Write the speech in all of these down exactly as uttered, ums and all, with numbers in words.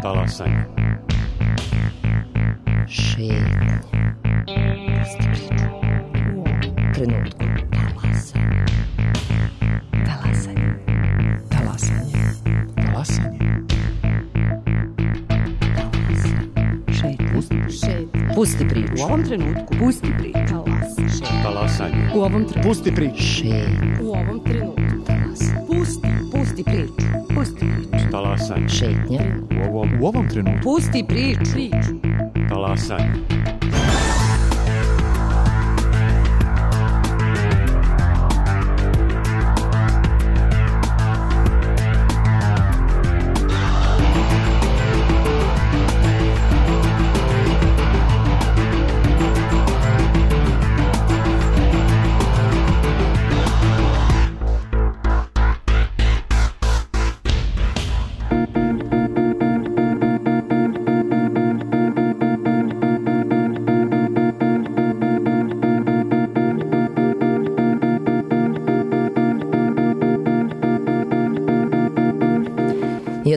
Talasanje. Šetnje. Pusti priču. U trenutku. Talasanje. Talasanje. Talasanje. Talasanje. Šetnje. Pusti, šetnje. Pusti priču. U ovom trenutku. Pusti priču. Talasanje. Talasanje. U ovom trenutku. Pusti priču. Šetnje. U ovom trenutku. Talasanje. Pusti. Pusti priču. Pusti priču. Talasanje. Šetnje. U ovom, u ovom trenutku. Pusti priču. Priču. Talasanje.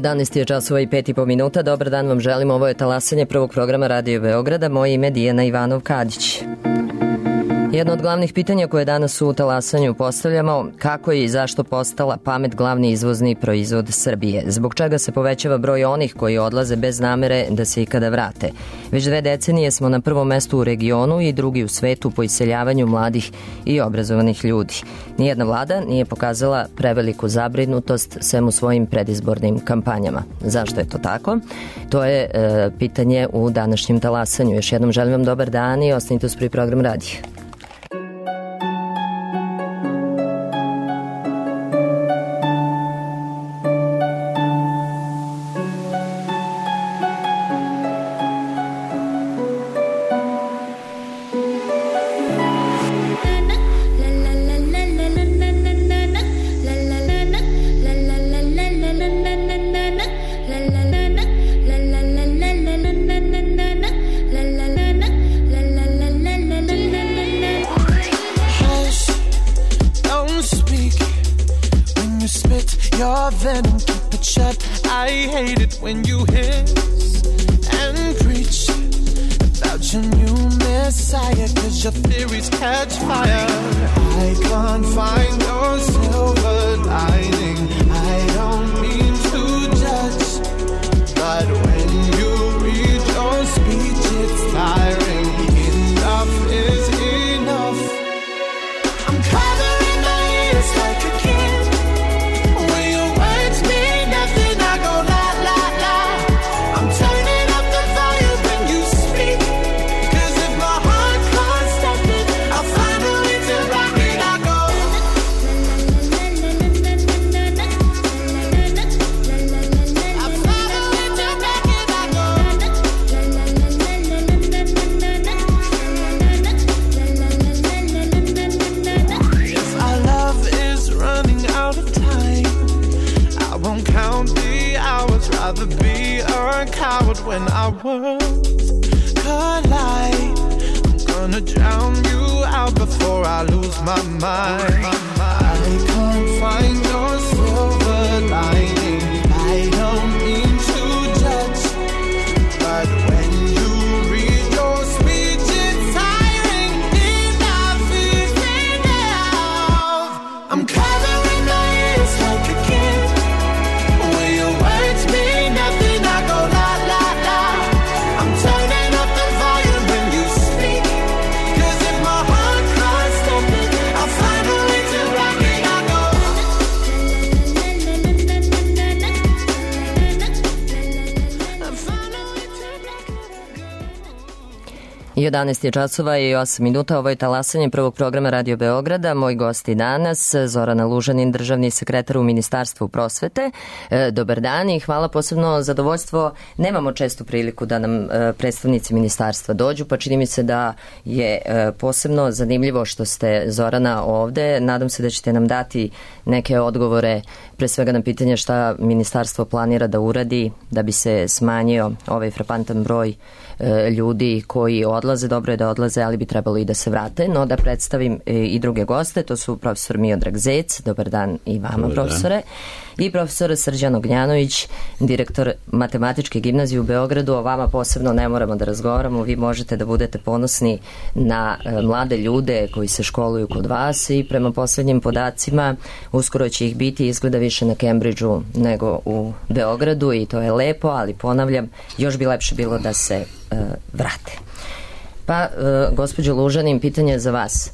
jedanaest je časova i pet i po minuta. Dobar dan vam želim. Ovo je talasanje prvog programa Radio Beograda. Moje ime je Dijana Ivanov-Kadić. Jedno od glavnih pitanja koje danas u talasanju postavljamo, kako je i zašto postala pamet glavni izvozni proizvod Srbije? Zbog čega se povećava broj onih koji odlaze bez namere da se ikada vrate? Već dve decenije smo na prvom mestu u regionu i drugi u svetu po iseljavanju mladih i obrazovanih ljudi. Nijedna vlada nije pokazala preveliku zabrinutost sem u svojim predizbornim kampanjama. Zašto je to tako? To je e, pitanje u današnjem talasanju. Još jednom želim vam dobar dan i ostanite uz prvi program radija. jedanaest je časova i osam minuta. Ovo je talasanje prvog programa Radio Beograda. Moj gosti danas, Zorana Lužanin, državni sekretar u Ministarstvu prosvete. E, dobar dan i hvala, posebno zadovoljstvo. Nemamo čestu priliku da nam e, predstavnici ministarstva dođu, pa čini mi se da je e, posebno zanimljivo što ste, Zorana, ovde. Nadam se da ćete nam dati neke odgovore, pre svega na pitanje šta ministarstvo planira da uradi da bi se smanjio ovaj frapantan broj e, ljudi koji odlaze. Dobro je da odlaze, ali bi trebalo i da se vrate. No da predstavim e, i druge goste, to su profesor Miodrag Zec. Dobar dan i vama, dobar profesore. Dan. i profesor Srđan Ognjanović, direktor Matematičke gimnazije u Beogradu. O vama posebno ne moramo da razgovaramo, vi možete da budete ponosni na mlade ljude koji se školuju kod vas i prema poslednjim podacima uskoro će ih biti izgleda više na Cambridgeu nego u Beogradu i to je lepo, ali ponavljam, još bi lepše bilo da se uh, vrate. Pa, uh, gospođo Lužanin, pitanje za vas.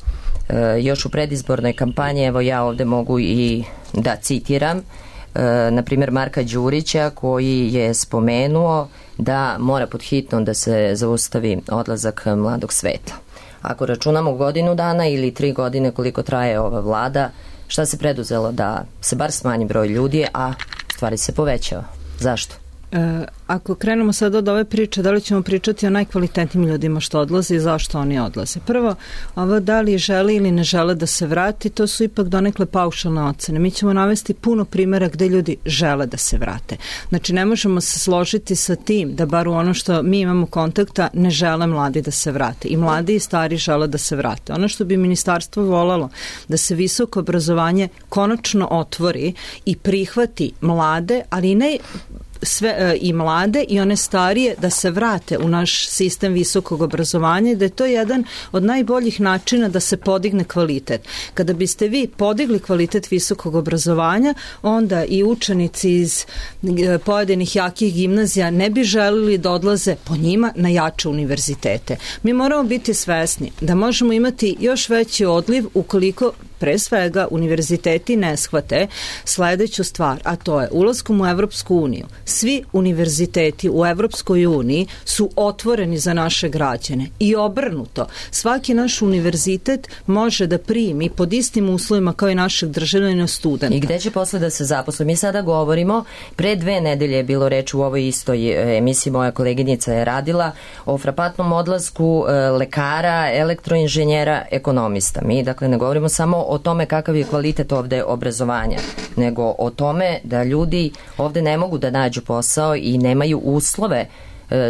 Uh, još u predizbornoj kampanji, evo ja ovde mogu i da citiram, uh, na primjer Marka Đurića koji je spomenuo da mora pod hitno da se zaustavi odlazak mladog sveta. Ako računamo godinu dana ili tri godine koliko traje ova vlada, šta se preduzelo da se bar smanji broj ljudi, a stvari se povećava? Zašto? E, ako krenemo sad od ove priče, da li ćemo pričati o najkvalitetnijim ljudima što odlaze i zašto oni odlaze? Prvo, ovo da li žele ili ne žele da se vrati, to su ipak donekle paušalne ocene. Mi ćemo navesti puno primjera gde ljudi žele da se vrate. Znači, ne možemo se složiti sa tim da bar u ono što mi imamo kontakta ne žele mladi da se vrate. I mladi i stari žele da se vrate. Ono što bi ministarstvo volalo da se visoko obrazovanje konačno otvori i prihvati mlade, ali ne sve e, i mlade i one starije da se vrate u naš sistem visokog obrazovanja i da je to jedan od najboljih načina da se podigne kvalitet. Kada biste vi podigli kvalitet visokog obrazovanja, onda i učenici iz e, pojedinih jakih gimnazija ne bi želili da odlaze po njima na jače univerzitete. Mi moramo biti svesni da možemo imati još veći odliv ukoliko pre svega univerziteti ne shvate sledeću stvar, a to je ulaskom u Evropsku uniju. Svi univerziteti u Evropskoj uniji su otvoreni za naše građane i obrnuto. Svaki naš univerzitet može da primi pod istim uslovima kao i našeg državljana studenta. I gde će posle da se zaposle? Mi sada govorimo, pre dve nedelje je bilo reč u ovoj istoj emisiji, moja koleginica je radila o frapantnom odlasku lekara, elektroinženjera, ekonomista. Mi dakle ne govorimo samo o tome kakav je kvalitet ovde obrazovanja, nego o tome da ljudi ovde ne mogu da nađu posao i nemaju uslove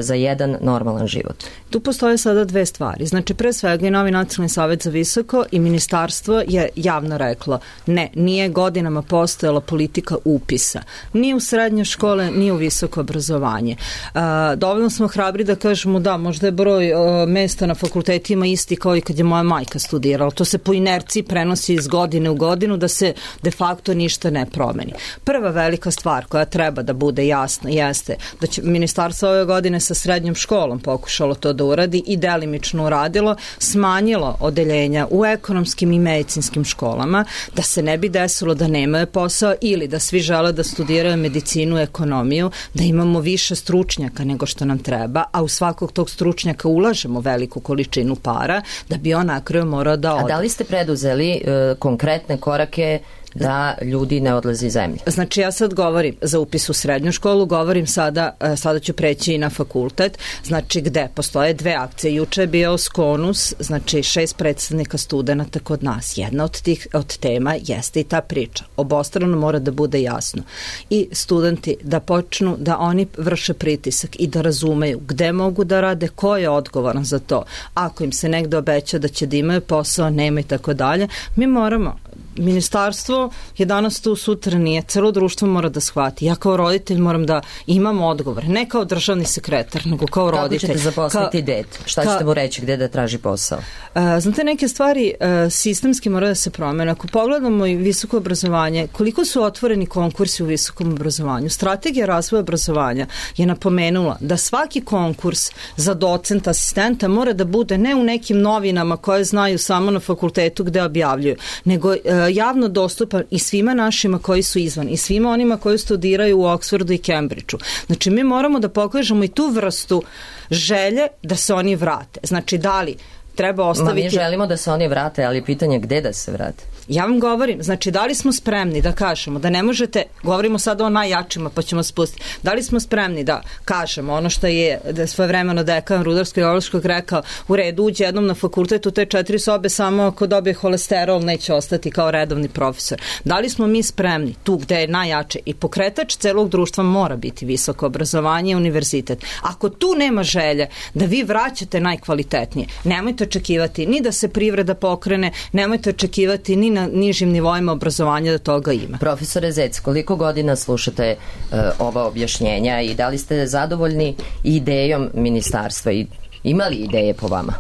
za jedan normalan život. Tu postoje sada dve stvari. Znači, pre svega i Novi nacionalni savjet za visoko i ministarstvo je javno reklo ne, nije godinama postojala politika upisa. Ni u srednje škole, ni u visoko obrazovanje. Uh, dovoljno smo hrabri da kažemo da, možda je broj uh, mesta na fakultetima isti kao i kad je moja majka studirala. To se po inerciji prenosi iz godine u godinu da se de facto ništa ne promeni. Prva velika stvar koja treba da bude jasna jeste da će ministarstvo ove godine sa srednjom školom pokušalo to da uradi i delimično uradilo, smanjilo odeljenja u ekonomskim i medicinskim školama, da se ne bi desilo da nemaju posao ili da svi žele da studiraju medicinu, ekonomiju, da imamo više stručnjaka nego što nam treba, a u svakog tog stručnjaka ulažemo veliku količinu para da bi on na kraju morao da ode. A da li ste preduzeli e, konkretne korake da ljudi ne odlaze iz zemlje? Znači, ja sad govorim za upis u srednju školu, govorim sada, sada ću preći i na fakultet, znači gde postoje dve akcije. Juče je bio Skonus, znači šest predstavnika studenta kod nas. Jedna od tih od tema jeste i ta priča. Obostrano mora da bude jasno. I studenti da počnu da oni vrše pritisak i da razumeju gde mogu da rade, ko je odgovoran za to. Ako im se negde obeća da će da imaju posao, nema i tako dalje, mi moramo ministarstvo je danas tu, sutra nije, celo društvo mora da shvati. Ja kao roditelj moram da imam odgovor, ne kao državni sekretar, nego kao Kako roditelj. Kako ćete zaposliti Ka, dete? Šta ka, ćete mu reći, gde da traži posao? Uh, znate, neke stvari uh, sistemski mora da se promene. Ako pogledamo i visoko obrazovanje, koliko su otvoreni konkursi u visokom obrazovanju? Strategija razvoja obrazovanja je napomenula da svaki konkurs za docenta, asistenta mora da bude ne u nekim novinama koje znaju samo na fakultetu gde objavljuju, nego uh, javno dostupan i svima našima koji su izvan i svima onima koji studiraju u Oksfordu i Cambridgeu. Znači, mi moramo da pokažemo i tu vrstu želje da se oni vrate. Znači, da li treba ostaviti... Ma mi želimo da se oni vrate, ali pitanje gde da se vrate? Ja vam govorim, znači, da li smo spremni da kažemo da ne možete, govorimo sada o najjačima pa ćemo spustiti, da li smo spremni da kažemo ono što je da svojevremeno dekan Rudarsko-geološkog rekao, u redu, uđe jednom na fakultet u te četiri sobe, samo ako dobije holesterol neće ostati kao redovni profesor. Da li smo mi spremni tu gde je najjače i pokretač celog društva mora biti visoko obrazovanje i univerzitet. Ako tu nema želje da vi vraćate najkvalitetnije, nemojte očekivati ni da se privreda pokrene, nemojte očekivati ni na nižim nivoima obrazovanja da toga ima. Profesore Zec, koliko godina slušate uh, ova objašnjenja i da li ste zadovoljni idejom ministarstva i imali ideje po vama?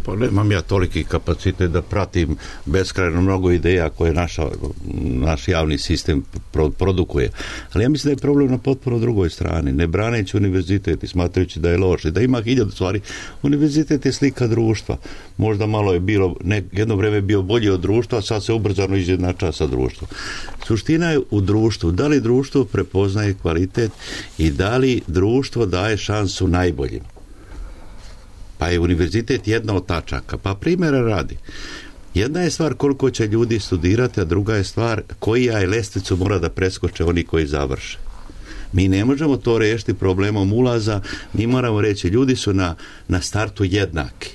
Pa nemam ja toliki kapacitet da pratim beskrajno mnogo ideja koje naša, naš javni sistem produkuje. Ali ja mislim da je problem na potpuno drugoj strani. Ne braneći univerzitet i smatrajući da je loš i da ima hiljadu stvari. Univerzitet je slika društva. Možda malo je bilo, ne, jedno vreme bio bolji od društva, a sad se ubrzano izjednačava sa društvom. Suština je u društvu. Da li društvo prepoznaje kvalitet i da li društvo daje šansu najboljim? Pa je univerzitet jedna od tačaka. Pa primjera radi. Jedna je stvar koliko će ljudi studirati, a druga je stvar koja je lestvicu mora da preskoče oni koji završe. Mi ne možemo to rešiti problemom ulaza, mi moramo reći ljudi su na, na startu jednaki,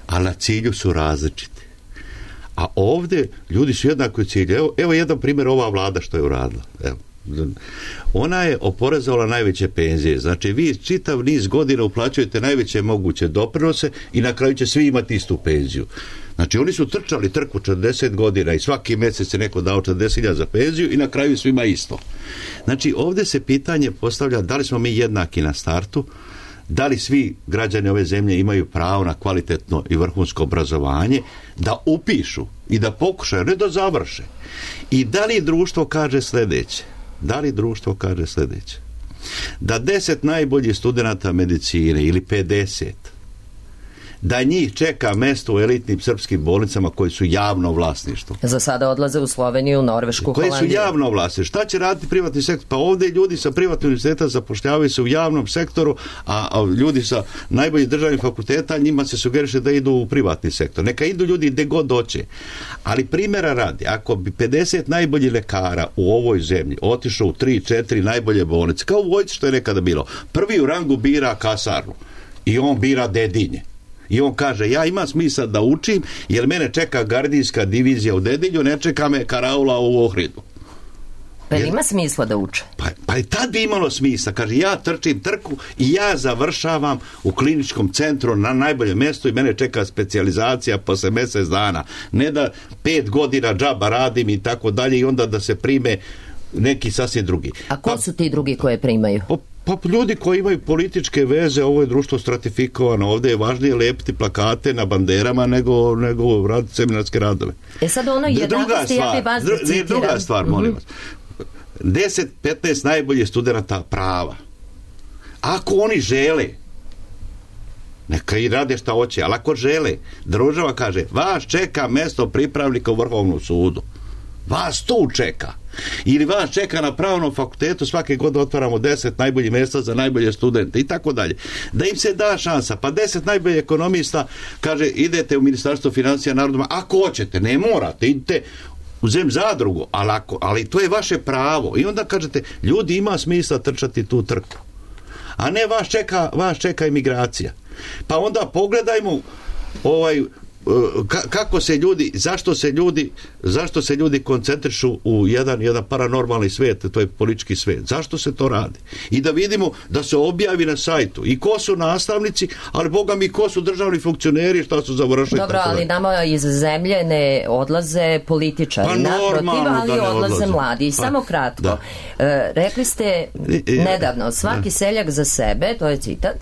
a na cilju su različiti. A ovdje ljudi su jednaki u cilju. Evo, evo jedan primjer, ova vlada što je uradila. Evo. Ona je oporezovala najveće penzije. Znači vi čitav niz godina uplaćujete najveće moguće doprinose i na kraju će svi imati istu penziju. Znači oni su trčali trku četrdeset godina i svaki mjesec je neko dao četrdeset hiljada za penziju i na kraju svima isto. Znači ovdje se pitanje postavlja da li smo mi jednaki na startu, da li svi građani ove zemlje imaju pravo na kvalitetno i vrhunsko obrazovanje, da upišu i da pokušaju, ne da završe. I da li društvo kaže sljedeće? Da li društvo kaže sljedeće? Da deset najboljih studenata medicine ili pedeset, da njih čeka mesto u elitnim srpskim bolnicama koji su javno vlasništvo. Za sada odlaze u Sloveniju, Norvešku, Holandiju. Koji su javno vlasništvo. Šta će raditi privatni sektor? Pa ovdje ljudi sa privatnog univerziteta zapošljavaju se u javnom sektoru, a, a ljudi sa najboljih državnih fakulteta njima se sugeriše da idu u privatni sektor. Neka idu ljudi gdje god doće. Ali primjera radi, ako bi pedeset najboljih lekara u ovoj zemlji otišao u tri četiri najbolje bolnice, kao u vojsci što je nekada bilo, prvi u rangu bira kasarnu i on bira Dedinje. I on kaže, ja imam smisla da učim, jer mene čeka gardijska divizija u Dedinju, ne čeka me karaula u Ohridu. Pa jer ima smisla da uče? Pa, pa i tad bi imalo smisla. Kaže, ja trčim trku i ja završavam u kliničkom centru na najboljem mjestu i mene čeka specijalizacija posle mjesec dana. Ne da pet godina džaba radim i tako dalje i onda da se prime neki sasvim drugi. A ko pa, su ti drugi koje primaju? Pa, Pa ljudi koji imaju političke veze, ovo je društvo stratifikovano, ovdje je važnije lepiti plakate na banderama nego, nego raditi seminarske radove. E sad ono jednakosti, ja bi vas da citiram. Druga stvar, molim vas. deset petnaest najboljih studenata prava. Ako oni žele, neka i rade šta hoće, ali ako žele, država kaže, vas čeka mjesto pripravnika u Vrhovnom sudu. Vas tu čeka. Ili vas čeka na pravnom fakultetu, svake godine otvaramo deset najboljih mjesta za najbolje studente i tako dalje. Da im se da šansa. Pa deset najboljih ekonomista kaže, idete u Ministarstvo financija narodoma, ako hoćete, ne morate, idite u zem zadrugu, ali, ako, ali to je vaše pravo. I onda kažete, ljudi ima smisla trčati tu trku. A ne vas čeka, vas čeka imigracija. Pa onda pogledajmo ovaj kako se ljudi, zašto se ljudi zašto se ljudi koncentrišu u jedan, jedan paranormalni svijet, to je politički svijet. Zašto se to radi? I da vidimo da se objavi na sajtu i ko su nastavnici, ali boga mi ko su državni funkcioneri, šta su završili. Dobro, ali nama iz zemlje ne odlaze političari, pa naprotiv, ali odlaze, odlaze mladi. I pa, samo kratko, da. E, rekli ste nedavno, svaki da. seljak za sebe, to je citat,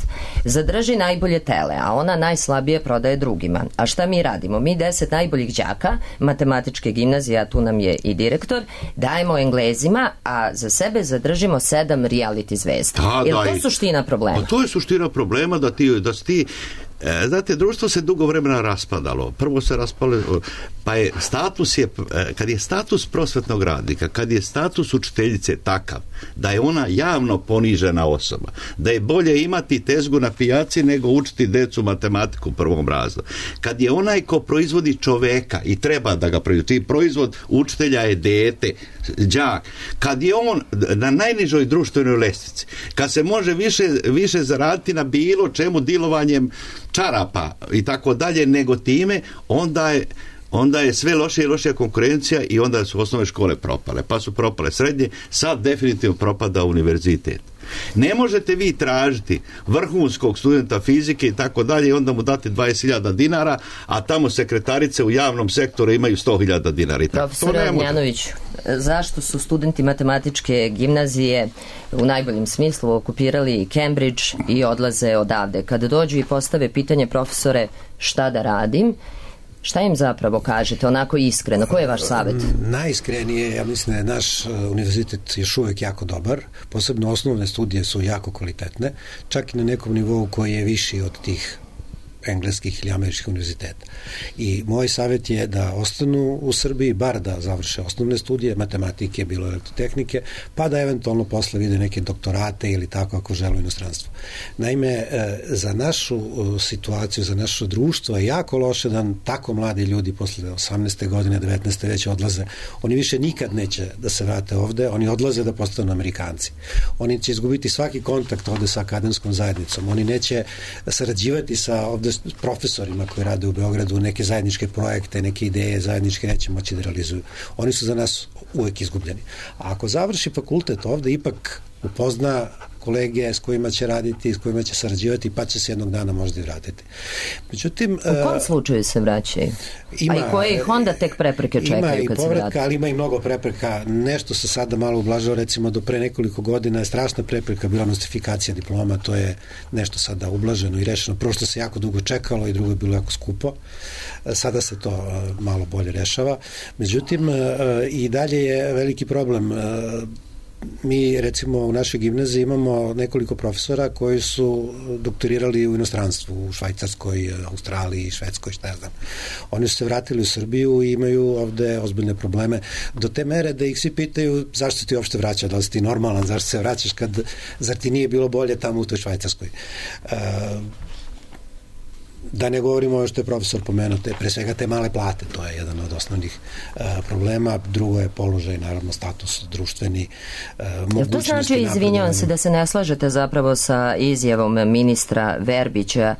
zadrži najbolje tele, a ona najslabije prodaje drugima. A šta mi radimo? Mi deset najboljih đaka matematičke gimnazije, a tu nam je i direktor, dajemo Englezima, a za sebe zadržimo sedam reality zvezda. Je li to suština problema? Pa to je suština problema da ti, da ti E, znate, društvo se dugo vremena raspadalo. Prvo se raspalo, pa je status je, kad je status prosvetnog radnika, kad je status učiteljice takav da je ona javno ponižena osoba, da je bolje imati tezgu na pijaci nego učiti decu matematiku u prvom razredu. Kad je onaj ko proizvodi čoveka i treba da ga proizvodi, proizvod učitelja je dete, đak, kad je on na najnižoj društvenoj lestvici, kad se može više, više zaraditi na bilo čemu dilovanjem čarapa i tako dalje, nego time, onda je onda je sve lošija i lošija konkurencija i onda su osnovne škole propale, pa su propale srednje, sad definitivno propada univerzitet. Ne možete vi tražiti vrhunskog studenta fizike i tako dalje i onda mu dati dvadeset hiljada dinara, a tamo sekretarice u javnom sektoru imaju sto hiljada dinara. Profesor Ognjanović, zašto su studenti matematičke gimnazije u najboljem smislu okupirali Cambridge i odlaze odavde? Kada dođu i postave pitanje, profesore, šta da radim, šta im zapravo kažete, onako iskreno? Koji je vaš savjet? Najiskrenije, ja mislim da je naš univerzitet još uvek jako dobar, posebno osnovne studije su jako kvalitetne, čak i na nekom nivou koji je viši od tih engleskih ili američkih univerziteta. I moj savjet je da ostanu u Srbiji, bar da završe osnovne studije, matematike, bilo elektrotehnike, pa da eventualno posle vide neke doktorate ili tako ako žele u inostranstvu. Naime, za našu situaciju, za naše društvo je jako loše da tako mladi ljudi posle osamnaeste godine, devetnaeste već odlaze. Oni više nikad neće da se vrate ovde, oni odlaze da postanu Amerikanci. Oni će izgubiti svaki kontakt ovde sa akademskom zajednicom. Oni neće sarađivati sa ovde profesorima koji rade u Beogradu, neke zajedničke projekte, neke ideje zajedničke neće moći da realizuju. Oni su za nas uvek izgubljeni. A ako završi fakultet ovde, ipak upozna kolege s kojima će raditi, s kojima će sarađivati, pa će se jednog dana možda i vratiti. Međutim, u kom slučaju se vraćaju? Ima, a i koje ih onda tek prepreke čekaju kad se vrati? Ima i povratka, ali ima i mnogo prepreka. Nešto se sada malo ublažava, recimo do pre nekoliko godina je strašna prepreka bila nostrifikacija diploma, to je nešto sada ublaženo i rešeno. Prvo što se jako dugo čekalo i drugo je bilo jako skupo. Sada se to malo bolje rešava. Međutim, i dalje je veliki problem. Mi, recimo, u našoj gimnaziji imamo nekoliko profesora koji su doktorirali u inostranstvu, u Švajcarskoj, Australiji, Švedskoj, šta ja znam. Oni su se vratili u Srbiju i imaju ovde ozbiljne probleme do te mere da ih svi pitaju zašto ti uopšte vraća, da li si ti normalan, zašto se vraćaš kad, zar ti nije bilo bolje tamo u toj Švajcarskoj. Uh, Da ne govorimo ovo što je profesor pomenuo, te, pre svega te male plate, to je jedan od osnovnih uh, problema, drugo je položaj, naravno status društveni, uh, mogućnosti. To znači, izvinjavam se, da se ne slažete zapravo sa izjavom ministra Verbića,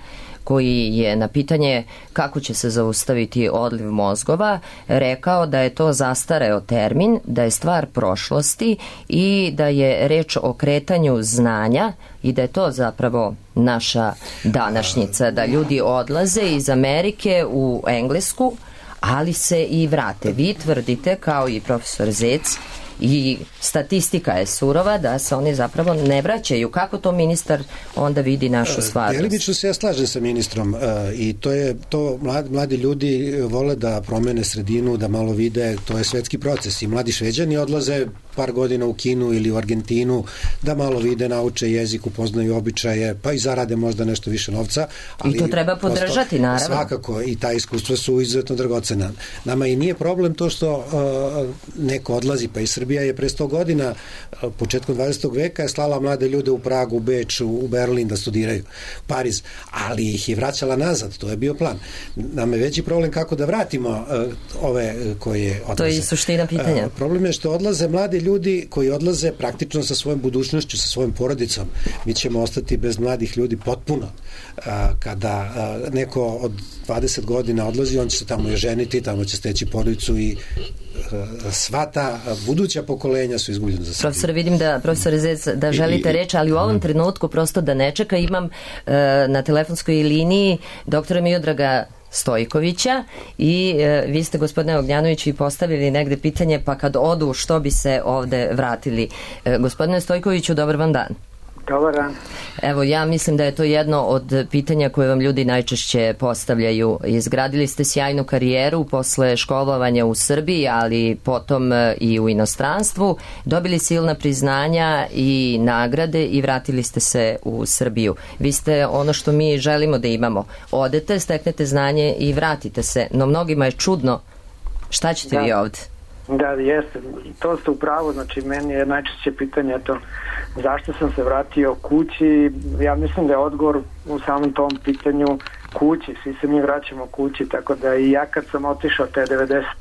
koji je na pitanje kako će se zaustaviti odliv mozgova rekao da je to zastareo termin, da je stvar prošlosti i da je reč o kretanju znanja i da je to zapravo naša današnjica, da ljudi odlaze iz Amerike u Englesku, ali se i vrate. Vi tvrdite, kao i profesor Zec, i statistika je surova da se oni zapravo ne vraćaju. Kako to ministar onda vidi našu stvarnost? Delimično se ja slažem sa ministrom uh, i to je to mladi, mladi ljudi vole da promene sredinu, da malo vide, to je svetski proces i mladi Šveđani odlaze par godina u Kinu ili u Argentinu da malo vide, nauče jezik, upoznaju običaje, pa i zarade možda nešto više novca. Ali i to treba podržati, naravno. Svakako, i ta iskustva su izuzetno dragocena. Nama i nije problem to što uh, neko odlazi, pa i Srbija je pre sto godina, uh, početkom dvadesetog veka je slala mlade ljude u Pragu, u Beč, u Berlin da studiraju, Pariz, ali ih je vraćala nazad, to je bio plan. Nama je veći problem kako da vratimo uh, ove koje odlaze. To je i suština pitanja. Uh, problem je što odlaze mladi ljudi koji odlaze praktično sa svojom budućnošću, sa svojom porodicom. Mi ćemo ostati bez mladih ljudi potpuno. Kada neko od dvadeset godina odlazi, on će se tamo ženiti, tamo će steći porodicu i sva ta buduća pokolenja su izgubljena za Srbiju. Profesor, vidim da, profesor Zec, da želite reći, ali u ovom trenutku prosto da ne čeka, imam na telefonskoj liniji doktora Miodraga Stojkovića i e, vi ste, gospodine Ognjanović, i postavili negde pitanje, pa kad odu što bi se ovde vratili. E, gospodine Stojkoviću, dobar vam dan. Dobar dan. Evo, ja mislim da je to jedno od pitanja koje vam ljudi najčešće postavljaju. Izgradili ste sjajnu karijeru posle školovanja u Srbiji, ali potom i u inostranstvu. Dobili silna priznanja i nagrade i vratili ste se u Srbiju. Vi ste ono što mi želimo da imamo. Odete, steknete znanje i vratite se. No mnogima je čudno šta ćete da. vi ovde? Da, jeste. To ste u pravu. Znači, meni je najčešće pitanje to zašto sam se vratio kući. Ja mislim da je odgovor u samom tom pitanju kući. Svi se mi vraćamo kući, tako da i ja kad sam otišao te devedeset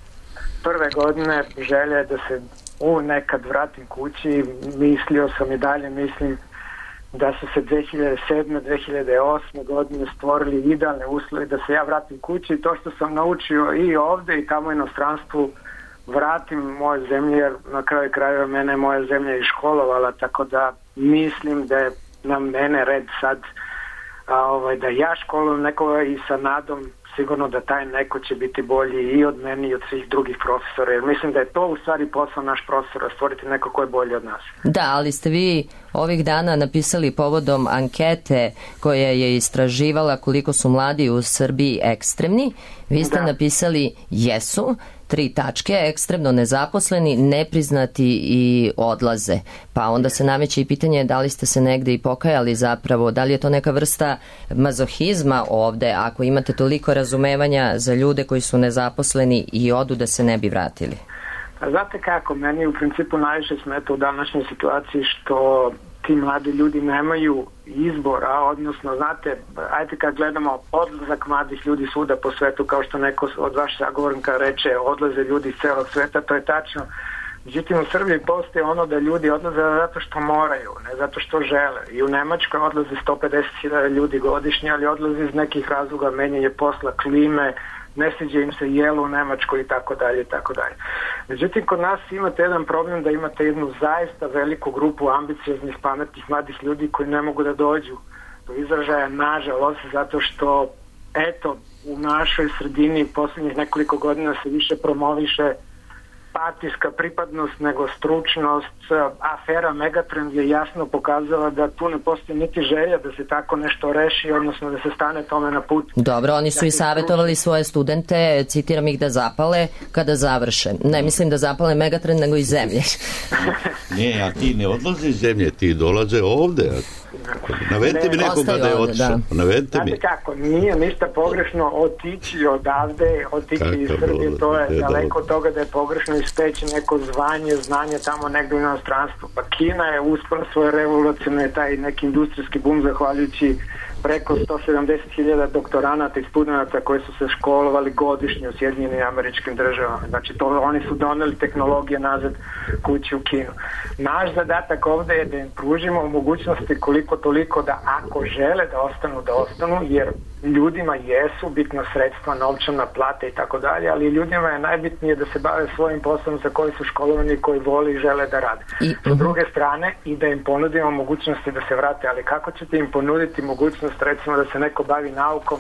prve godine, želja je da se u nekad vratim kući. Mislio sam i dalje, mislim da su se dve hiljade sedme. dve hiljade osme. godine stvorili idealne uslovi da se ja vratim kući i to što sam naučio i ovde i tamo u inostranstvu vratim moje zemlje, jer na kraju krajeva mene moja zemlja i školovala, tako da mislim da je na mene red sad a, ovaj, da ja školujem nekoga i sa nadom sigurno da taj neko će biti bolji i od meni i od svih drugih profesora, jer mislim da je to u stvari posao naš profesora, stvoriti neko ko je bolji od nas. Da, ali ste vi ovih dana napisali povodom ankete koja je istraživala koliko su mladi u Srbiji ekstremni. Vi ste da. napisali jesu, tri tačke, ekstremno nezaposleni, nepriznati i odlaze. Pa onda se nameće i pitanje da li ste se negde i pokajali zapravo, da li je to neka vrsta mazohizma ovde, ako imate toliko razumevanja za ljude koji su nezaposleni i odu da se ne bi vratili? A znate kako, meni u principu najviše smeta u današnjoj situaciji što ti mladi ljudi nemaju izbora, odnosno, znate, ajde kad gledamo odlazak mladih ljudi svuda po svetu, kao što neko od vaših sagovornika reče, odlaze ljudi iz celog sveta, to je tačno. Međutim, u Srbiji postoje ono da ljudi odlaze zato što moraju, ne zato što žele. I u Nemačkoj odlaze sto pedeset hiljada ljudi godišnje, ali odlaze iz nekih razloga, menjanje posla, klime, ne sviđa im se jelo u Nemačkoj i tako dalje i tako dalje. Međutim, kod nas imate jedan problem da imate jednu zaista veliku grupu ambicioznih, pametnih, mladih ljudi koji ne mogu da dođu do izražaja, nažalost, zato što, eto, u našoj sredini poslednjih nekoliko godina se više promoviše partijska pripadnost nego stručnost. Afera Megatrend je jasno pokazala da tu ne postoji niti želja da se tako nešto reši, odnosno da se stane tome na put. Dobro, oni su i savjetovali svoje studente, citiram ih, da zapale kada završe. Ne mislim da zapale Megatrend, nego iz zemlje. Ne, a ti ne odlaze iz zemlje, ti dolaze ovde. Navedite mi nekoga da je otišao. Navedite mi. Znate kako, nije ništa pogrešno otići odavde, otići iz Srbije, to je daleko od toga da je pogrešno ispeći neko zvanje, znanje tamo negdje u inostranstvu. Pa Kina je uspela svoje revolucionne, taj neki industrijski bum zahvaljujući preko sto sedamdeset hiljada doktoranata i studenata koji su se školovali godišnje u Sjedinjenim Američkim Državama. Znači, to, oni su doneli tehnologije nazad kući u Kinu. Naš zadatak ovde je da im pružimo mogućnosti koliko toliko da ako žele da ostanu, da ostanu, jer ljudima jesu bitna sredstva, novčana plata i tako dalje, ali ljudima je najbitnije da se bave svojim poslom za koji su školovani, koji voli i žele da rade. I, S druge strane, i da im ponudimo mogućnosti da se vrate, ali kako ćete im ponuditi mogućnost, recimo, da se neko bavi naukom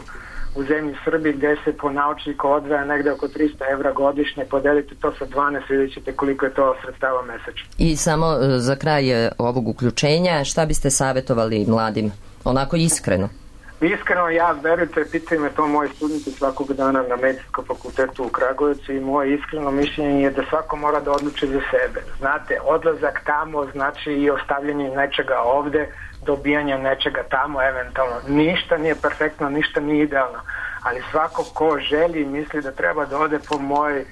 u zemlji Srbiji gde se po naučniku odvaja negde oko tristo evra godišnje, podelite to sa dvanaest, vidjet ćete koliko je to sredstava mesečno. I samo za kraj ovog uključenja, šta biste savjetovali mladim, onako iskreno? Iskreno, ja, verujte, pitaju me to moji studenti svakog dana na Medicinskom fakultetu u Kragujevcu i moje iskreno mišljenje je da svako mora da odluči za sebe. Znate, odlazak tamo znači i ostavljanje nečega ovde, dobijanje nečega tamo eventualno. Ništa nije perfektno, ništa nije idealno, ali svako ko želi i misli da treba da ode, po mojoj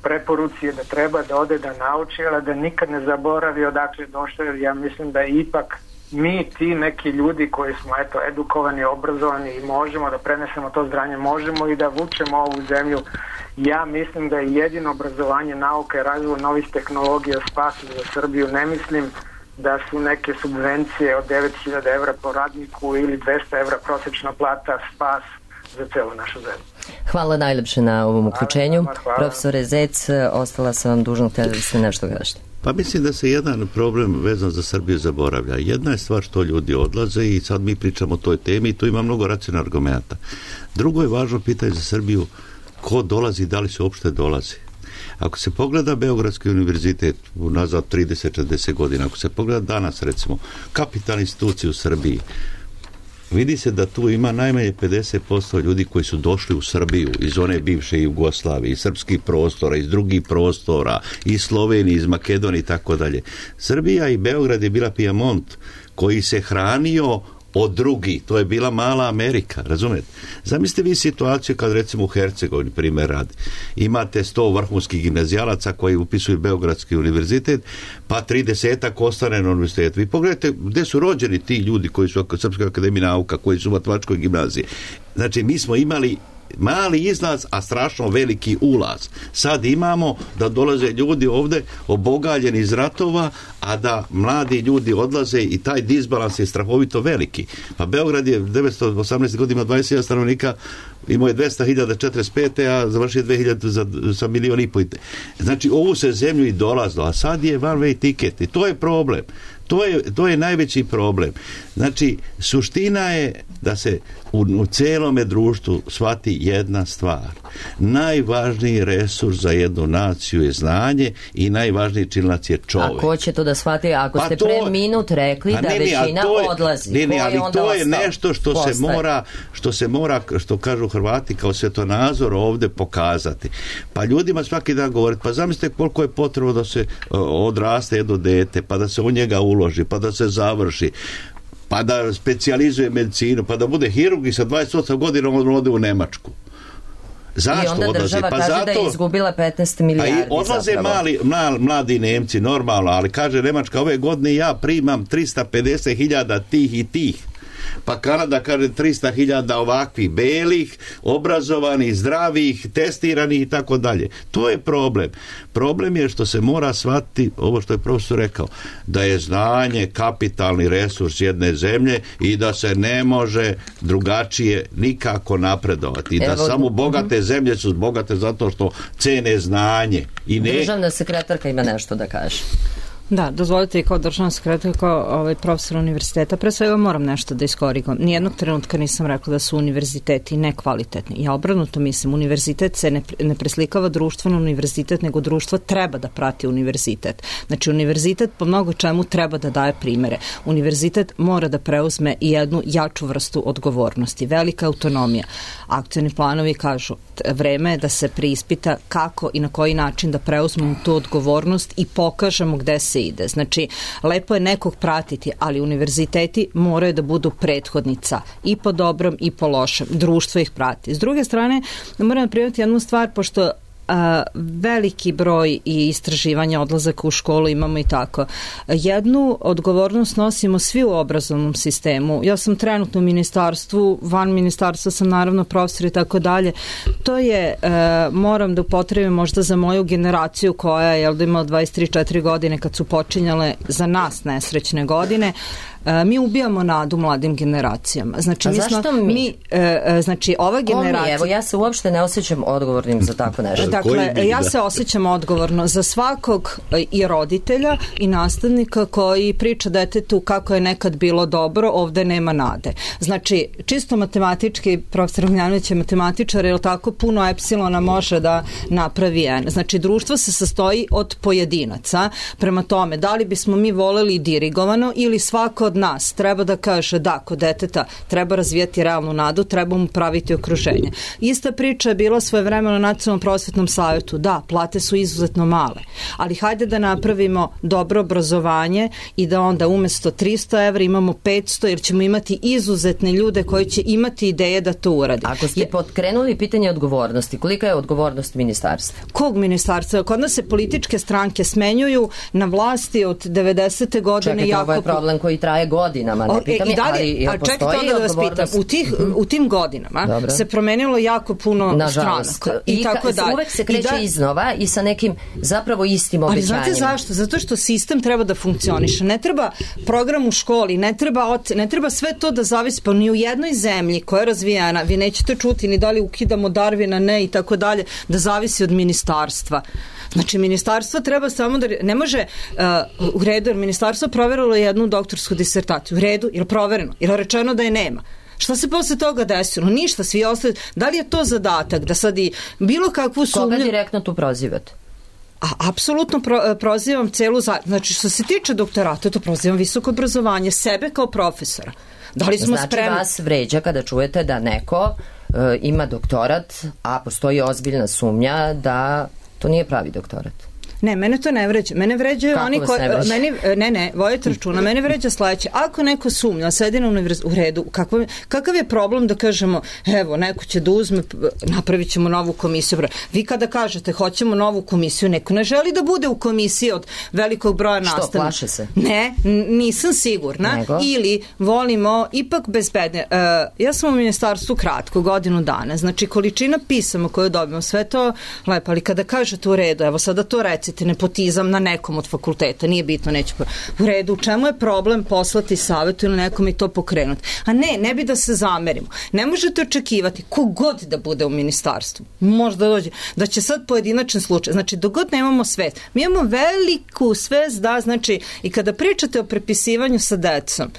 preporuci je da treba da ode da nauči, ali da nikad ne zaboravi odakle došlo, jer ja mislim da je ipak mi ti neki ljudi koji smo eto edukovani, obrazovani i možemo da prenesemo to zdanje, možemo i da vučemo ovu zemlju. Ja mislim da je jedino obrazovanje, nauka i razvoj novih tehnologija spas za Srbiju. Ne mislim da su neke subvencije od devet hiljada evra po radniku ili dvesta evra prosječna plata spas za celu našu zemlju. Hvala najlepše na ovom uključenju. Hvala, hvala. Profesore Zec, ostala sam vam dužna, htjeli ste nešto kažete. Pa mislim da se jedan problem vezan za Srbiju zaboravlja. Jedna je stvar što ljudi odlaze i sad mi pričamo o toj temi i tu ima mnogo racionalnih argumenta. Drugo je važno pitanje za Srbiju, ko dolazi i da li se uopšte dolazi. Ako se pogleda Beogradski univerzitet nazad trideset četrdeset godina, ako se pogleda danas recimo kapitalne institucije u Srbiji, vidi se da tu ima najmanje pedeset posto ljudi koji su došli u Srbiju iz one bivše Jugoslavije, iz srpskih prostora, iz drugih prostora, iz Slovenije, iz Makedonije i tako dalje. Srbija i Beograd je bila Pijemont koji se hranio od drugih, to je bila mala Amerika, razumete? Zamislite vi situaciju kad recimo u Hercegovini, primjer radi, imate sto vrhunskih gimnazijalaca koji upisuju Beogradski univerzitet, pa tridesetak ostane na univerzitetu. Vi pogledajte gdje su rođeni ti ljudi koji su u Srpskoj akademiji nauka, koji su u matematičkoj gimnaziji. Znači, mi smo imali mali izlaz, a strašno veliki ulaz. Sad imamo da dolaze ljudi ovde obogaljeni iz ratova, a da mladi ljudi odlaze i taj disbalans je strahovito veliki. Pa Beograd je devetsto osamnaeste. godine ima dvadeset hiljada stanovnika, imao je dvesta hiljada četrdeset pete. a završio dve hiljade za, sa milion i pol. Znači, ovu se zemlju i dolazilo, a sad je one way ticket i to je problem. To je, to je najveći problem. Znači, suština je da se u, u celome društvu shvati jedna stvar. Najvažniji resurs za jednu naciju je znanje i najvažniji činilac je čovek. A ko će to da shvati? Ako pa ste to, pre minut rekli da ne, ne, većina je, odlazi, ne, ne, ali ko je to je ostao? nešto što Postaje. se mora, što se mora, što kažu Hrvati, kao svetonazor ovde pokazati. Pa ljudima svaki dan govoriti, pa zamislite koliko je potrebno da se uh, odraste jedno dete, pa da se u njega uloži, pa da se završi, pa da specijalizuje medicinu, pa da bude hirurg i sa dvadeset osam godina on ode u Nemačku. Zašto I onda odlazi? država Pa kaže zato, da je izgubila petnaest milijardi. A i odlaze mali, mali, mladi Nemci, normalno, ali kaže Nemačka, ove godine ja primam tristo pedeset hiljada tih i tih. Pa Kanada kaže tristo hiljada ovakvih, belih, obrazovanih, zdravih, testiranih i tako dalje. To je problem. Problem je što se mora shvatiti, ovo što je profesor rekao, da je znanje kapitalni resurs jedne zemlje i da se ne može drugačije nikako napredovati. I da Evo, samo bogate uh-huh. zemlje su bogate zato što cene znanje. I ne... Državna sekretarka ima nešto da kaže. Da, dozvolite i kao državna sekretarka, kao ovaj profesor univerziteta, pre svega moram nešto da iskorigujem. Nijednog trenutka nisam rekla da su univerziteti nekvalitetni. Ja obrnuto mislim, univerzitet se ne, ne preslikava društveno univerzitet, nego društvo treba da prati univerzitet. Znači, univerzitet po mnogo čemu treba da daje primere. Univerzitet mora da preuzme i jednu jaču vrstu odgovornosti. Velika autonomija. Akcioni planovi kažu, vreme je da se preispita kako i na koji način da preuzmemo tu odgovornost i pokažemo gde se ide. Znači, lepo je nekog pratiti, ali univerziteti moraju da budu prethodnica i po dobrom i po lošem. Društvo ih prati. S druge strane, moram primiti jednu stvar, pošto a, veliki broj i istraživanja odlazaka u školu imamo i tako. Jednu odgovornost nosimo svi u obrazovnom sistemu. Ja sam trenutno u ministarstvu, van ministarstva sam naravno profesor i tako dalje. To je, a, moram da upotrebim možda za moju generaciju koja je jel da imala dvadeset tri četiri godine kad su počinjale za nas nesrećne godine. Uh, mi ubijamo nadu mladim generacijama. Znači, mi smo, mi? mi uh, znači, ova generacija... Mi? Evo, ja se uopšte ne osjećam odgovornim za tako nešto. Dakle, ja se osjećam odgovorno za svakog i roditelja i nastavnika koji priča detetu kako je nekad bilo dobro, ovde nema nade. Znači, čisto matematički, profesor Ognjanović je matematičar, jer tako puno epsilona može da napravi n. Znači, društvo se sastoji od pojedinaca. Prema tome, da li bismo mi voleli dirigovano ili svako od nas treba da kaže da, kod deteta treba razvijati realnu nadu, treba mu praviti okruženje. Ista priča je bila svoje vremena na Nacionalnom prosvetnom savjetu. Da, plate su izuzetno male, ali hajde da napravimo dobro obrazovanje i da onda umesto tristo evra imamo petsto, jer ćemo imati izuzetne ljude koji će imati ideje da to uradi. Ako ste potkrenuli pitanje odgovornosti, kolika je odgovornost ministarstva? Kog ministarstva? Kod nas se političke stranke smenjuju na vlasti od devedesete godine. Čekajte, jako... ovo je problem koji traje godinama, ne pitam je, ali a čekajte onda da vas pitam, u, tih, u tim godinama Dobro. se promenilo jako puno stranaka. I, I tako da uvek se kreće da, iznova i sa nekim zapravo istim obećanjima. Ali znate zašto? Zato što sistem treba da funkcioniše. Ne treba program u školi, ne treba, od, ne treba sve to da zavisi, pa ni u jednoj zemlji koja je razvijena, vi nećete čuti ni da li ukidamo Darwina, ne i tako dalje, da zavisi od ministarstva. Znači, ministarstvo treba samo da... Ne može uh, u redu, jer ministarstvo proverilo jednu doktorsku disertaciju. U redu, je li provereno? Je li rečeno da je nema? Šta se posle toga desilo? Ništa, svi ostali... Da li je to zadatak da sad i bilo kakvu sumnju... Koga direktno tu prozivate? A, apsolutno pro, prozivam celu... Za... Znači, što se tiče doktorata, to prozivam visoko obrazovanje, sebe kao profesora. Da li smo znači, spremni... Znači, vas vređa kada čujete da neko uh, ima doktorat, a postoji ozbiljna sumnja da to nije pravi doktorat. Ne, mene to ne vređa. Mene vređaju Kako oni koji... Ne, meni, ne, ne, vojete računa. Mene vređa sledeće. Ako neko sumnja, sedi na univerzitetu, u redu, kakav, kakav je problem da kažemo, evo, neko će da uzme, napravit ćemo novu komisiju. Vi kada kažete, hoćemo novu komisiju, neko ne želi da bude u komisiji od velikog broja nastavnika. Što, plaše se? Ne, nisam sigurna. Nego? Ili volimo ipak bezbedne. Uh, ja sam u ministarstvu kratko, godinu dana. Znači, količina pisama koju dobimo, sve to lepo, ali kada kažete u redu, evo sada to recite, desiti nepotizam na nekom od fakulteta, nije bitno, neće u redu, u čemu je problem poslati savetu ili nekom i to pokrenuti. A ne, ne bi da se zamerimo. Ne možete očekivati kogod da bude u ministarstvu. Možda dođe, da će sad pojedinačan slučaj. Znači, dogod nemamo svest. Mi imamo veliku svest da, znači, i kada pričate o prepisivanju sa decom,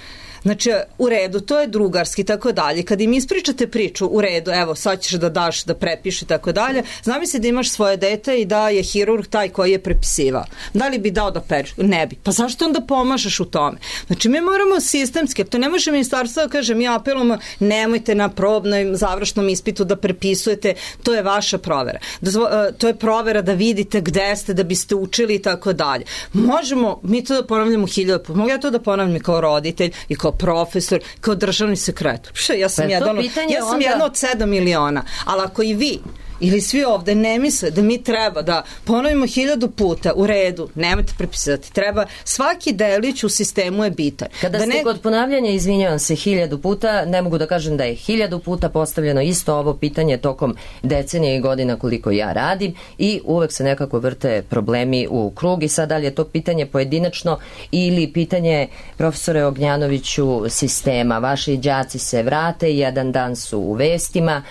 znači, u redu, to je drugarski i tako dalje. Kad im ispričate priču, u redu, evo, sad ćeš da daš, da prepiši i tako dalje, zamisli da imaš svoje dete i da je hirurg taj koji je prepisivao. Da li bi dao da peče? Ne bi. Pa zašto onda pomažeš u tome? Znači, mi moramo sistemski, to ne može ministarstvo da kaže, mi apelujemo, nemojte na probnom završnom ispitu da prepisujete, to je vaša provera. Dozvo, to je provera da vidite gde ste, da biste učili i tako dalje. Možemo mi to da ponavljamo hiljadu puta. Mogu ja to da ponavljam i kao roditelj i kao profesor, kao državni sekretar. Pše, ja sam, jedan, ja sam onda... jedna od sedam miliona, ali ako i vi ili svi ovde ne misle da mi treba da ponovimo hiljadu puta u redu, nemojte prepisati, treba svaki delić u sistemu je bitan. Kada da ste ne... kod ponavljanja, izvinjavam se, hiljadu puta, ne mogu da kažem da je hiljadu puta postavljeno isto ovo pitanje tokom decenije i godina koliko ja radim i uvek se nekako vrte problemi u krug i sad da li je to pitanje pojedinačno ili pitanje, profesore Ognjanoviću, sistema. Vaši đaci se vrate, jedan dan su u vestima,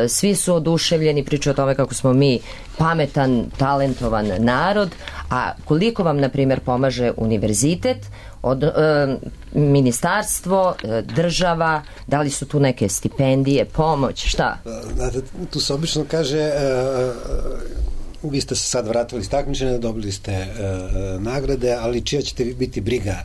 svi su oduševljeni, priča o tome kako smo mi pametan, talentovan narod, a koliko vam, na primjer, pomaže univerzitet, od, e, ministarstvo, e, država, da li su tu neke stipendije, pomoć, šta? Znate, tu se obično kaže... E, vi ste se sad vratili iz takmičenja, dobili ste e, nagrade, ali čija ćete biti briga?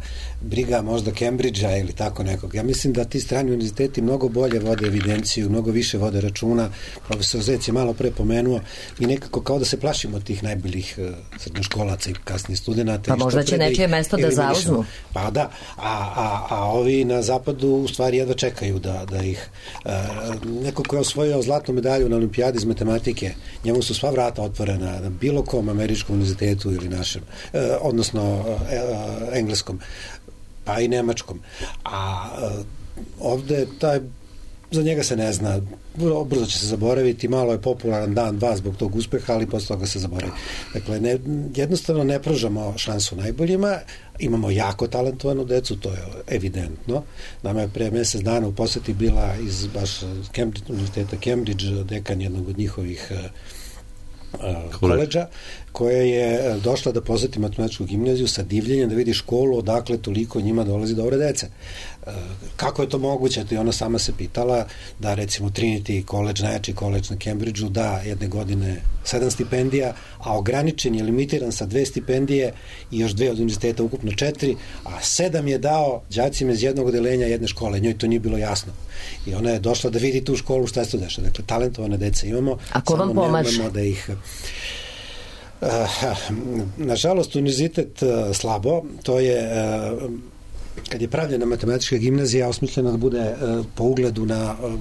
Briga možda Cambridgea ili tako nekog. Ja mislim da ti strani univerziteti mnogo bolje vode evidenciju, mnogo više vode računa. Profesor Zec je malo pre pomenuo, mi nekako kao da se plašimo tih najboljih e, srednjoškolaca i kasnijih studenta. Pa možda će nečije mesto da zauzmu. Pa da, a, a, a ovi na zapadu u stvari jedva čekaju da, da ih e, neko ko je osvojio zlatnu medalju na olimpijadi iz matematike, njemu su sva vrata otvorena na bilo kom američkom univerzitetu ili našem, eh, odnosno eh, engleskom, pa i nemačkom. A eh, ovde taj, za njega se ne zna, brzo će se zaboraviti, malo je popularan dan, dva zbog tog uspeha, ali posle toga se zaboravi. Dakle, ne, jednostavno ne pružamo šansu najboljima, imamo jako talentovanu decu, to je evidentno. Nama je pre mesec dana u poseti bila iz baš Cambridge, univerziteta Cambridge, dekan jednog od njihovih koleđa, koja je došla da poseti matematičku gimnaziju sa divljenjem da vidi školu odakle toliko njima dolazi dobre dece. Kako je to moguće? To je ona sama se pitala da recimo Trinity College, najjači koleđ na Cambridgeu, da jedne godine sedam stipendija, a ograničen je, limitiran sa dve stipendije i još dve od univerziteta, ukupno četiri, a sedam je dao đacima iz jednog odelenja jedne škole. Njoj to nije bilo jasno. I ona je došla da vidi tu školu, šta se to dešava. Dakle, talentovane dece imamo. A ko vam pomaže? Da ih... Uh, nažalost, univerzitet uh, slabo, to je uh, kad je pravljena matematička gimnazija osmišljena da bude uh, po ugledu na uh,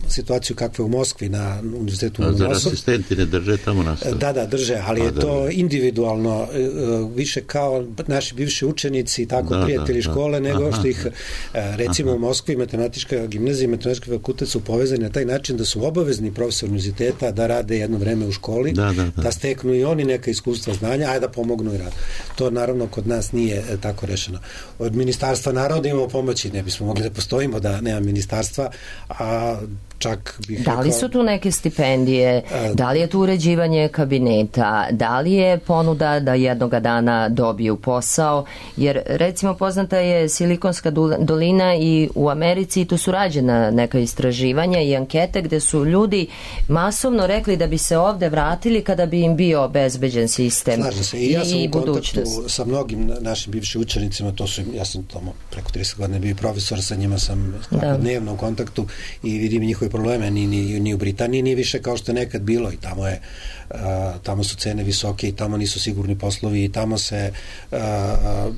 situaciju kakva je u Moskvi, na univerzitetu u Moskvi. Zar asistenti ne drže tamo nastavu? Da, da, drže, ali A, je to individualno uh, više kao naši bivši učenici, tako da, prijatelji da, škole, da. nego Aha. što ih uh, recimo Aha. u Moskvi matematička gimnazija i matematički fakultet su povezani na taj način da su obavezni profesor univerziteta da rade jedno vreme u školi, da, da, da. da steknu i oni neka iskustva, znanja, a da pomognu i radu. To naravno kod nas nije uh, tako rešeno. Od ministarstva naroda imamo pomoći, ne bismo mogli da postojimo da nema ministarstva, a čak bih da li rekao, su tu neke stipendije, a, da li je tu uređivanje kabineta, da li je ponuda da jednoga dana dobiju posao, jer recimo poznata je Silikonska dolina i u Americi tu su rađena neka istraživanja i ankete gde su ljudi masovno rekli da bi se ovde vratili kada bi im bio obezbeđen sistem. Slažem se, i ja sam i u kontaktu sa mnogim našim bivšim učenicima, to su, ja sam tamo preko trideset godina bio profesor, sa njima sam dnevno u kontaktu i vidim njihove probleme, ni, ni, ni u Britaniji nije više kao što je nekad bilo i tamo je uh, tamo su cene visoke i tamo nisu sigurni poslovi i tamo se uh, uh,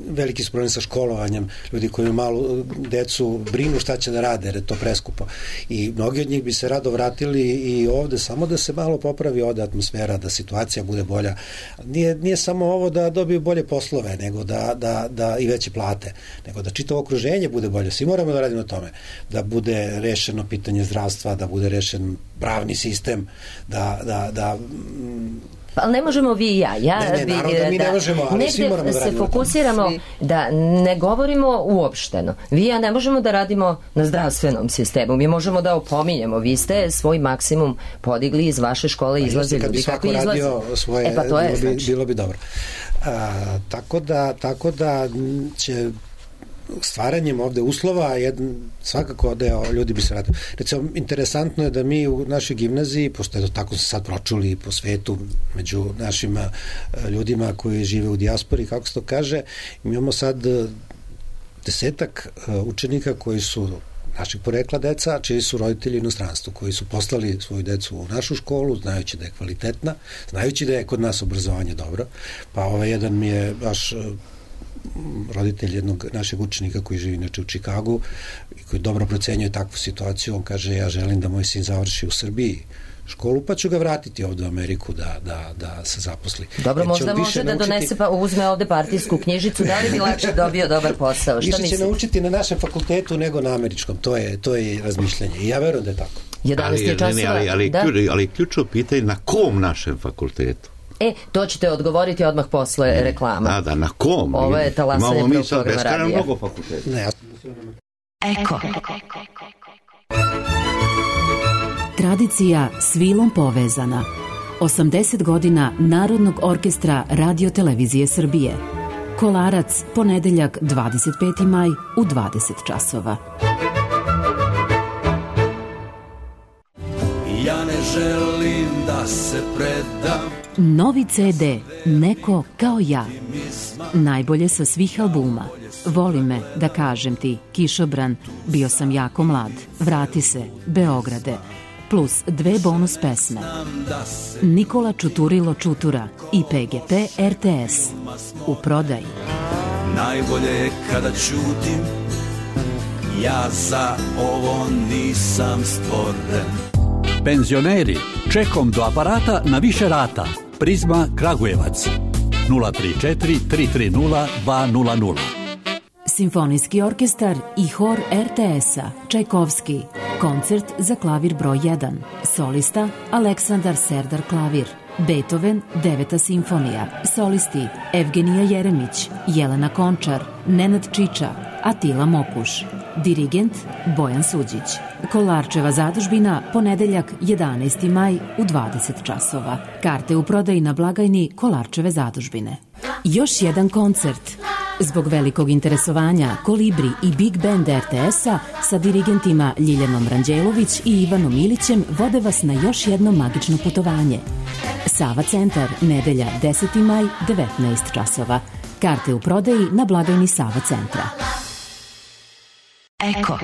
veliki su problemi sa školovanjem, ljudi koji malo decu brinu šta će da rade jer je to preskupo i mnogi od njih bi se rado vratili i ovde samo da se malo popravi ovde atmosfera, da situacija bude bolja. Nije, nije samo ovo da dobiju bolje poslove, nego da, da, da i veće plate, nego da čitavo okruženje bude bolje. Svi moramo da radimo na tome, da bude rešeno pitanje zdravstva, da bude rešen pravni sistem, da, da, da Pa, ali ne možemo vi i ja. ja ne, ne, bi, naravno da mi ne možemo, ali svi moramo da se radimo. fokusiramo svi. Da ne govorimo uopšteno. Vi i ja ne možemo da radimo na zdravstvenom sistemu. Mi možemo da opominjemo. Vi ste svoj maksimum podigli iz vaše škole, izlaze ljudi kako izlaze. Radio svoje, e pa to je, bilo, bi, znači. bilo bi dobro. A, tako, da, tako da će stvaranjem ovde uslova jedan, svakako da ljudi bi se radili. Recimo, interesantno je da mi u našoj gimnaziji, pošto je to tako se sad pročuli po svetu među našim ljudima koji žive u dijaspori, kako se to kaže, mi imamo sad desetak učenika koji su naših porekla deca, čiji su roditelji u inostranstvu, koji su poslali svoju decu u našu školu, znajući da je kvalitetna, znajući da je kod nas obrazovanje dobro. Pa ovaj jedan mi je baš roditelj jednog našeg učenika koji živi inače u Čikagu i koji dobro procenjuje takvu situaciju. On kaže, ja želim da moj sin završi u Srbiji školu, pa ću ga vratiti ovde u Ameriku da, da, da se zaposli. Dobro, možda može da naučiti... donese pa uzme ovde partijsku knjižicu, da li bi lakše dobio dobar posao? Šta više će naučiti na našem fakultetu nego na američkom, to je, to je razmišljanje i ja verujem da je tako. jedanaest je časova. Ali, ali, da? ali, ali ključno pitanje na kom našem fakultetu? E, to ćete odgovoriti odmah posle ne, reklama. Da, da, na kom? Ovo je talasanje prvog programa radija. Imamo mnogo fakulteta. Ne, ja... Eko. Tradicija s vilom povezana. osamdeset godina Narodnog orkestra Radio Televizije Srbije. Kolarac, ponedeljak dvadeset peti maj u dvadeset časova. Ja ne želim da se predam. Novi ce de Neko kao ja. Najbolje sa svih albuma. Voli me, da kažem ti, Kišobran, Bio sam jako mlad, Vrati se, Beograde, plus dve bonus pesme. Nikola Čuturilo Čutura i pe ge pe er te es. U prodaji. Najbolje je kada ćutim, ja za ovo nisam stvoren. Penzioneri, čekom do aparata na više rata. Prizma Kragujevac nula tri četiri tri tri nula dva nula nula. Simfonijski orkestar i hor er te es-a Čajkovski. Koncert za klavir broj jedan. Solista Aleksandar Serdar klavir. Beethoven, deveta simfonija. Solisti Evgenija Jeremić, Jelena Končar, Nenad Čiča, Atila Mokuš. Dirigent Bojan Suđić. Kolarčeva zadužbina, ponedeljak jedanaesti maj u dvadeset časova. Karte u prodaji na blagajni Kolarčeve zadužbine. Još jedan koncert. Zbog velikog interesovanja Kolibri i Big Band er te es-a sa dirigentima Ljiljanom Ranđelović i Ivanom Ilićem vode vas na još jedno magično putovanje. Sava centar, nedelja deseti maj, devetnaest časova. Karte u prodaji na blagajni Sava centra. Eko.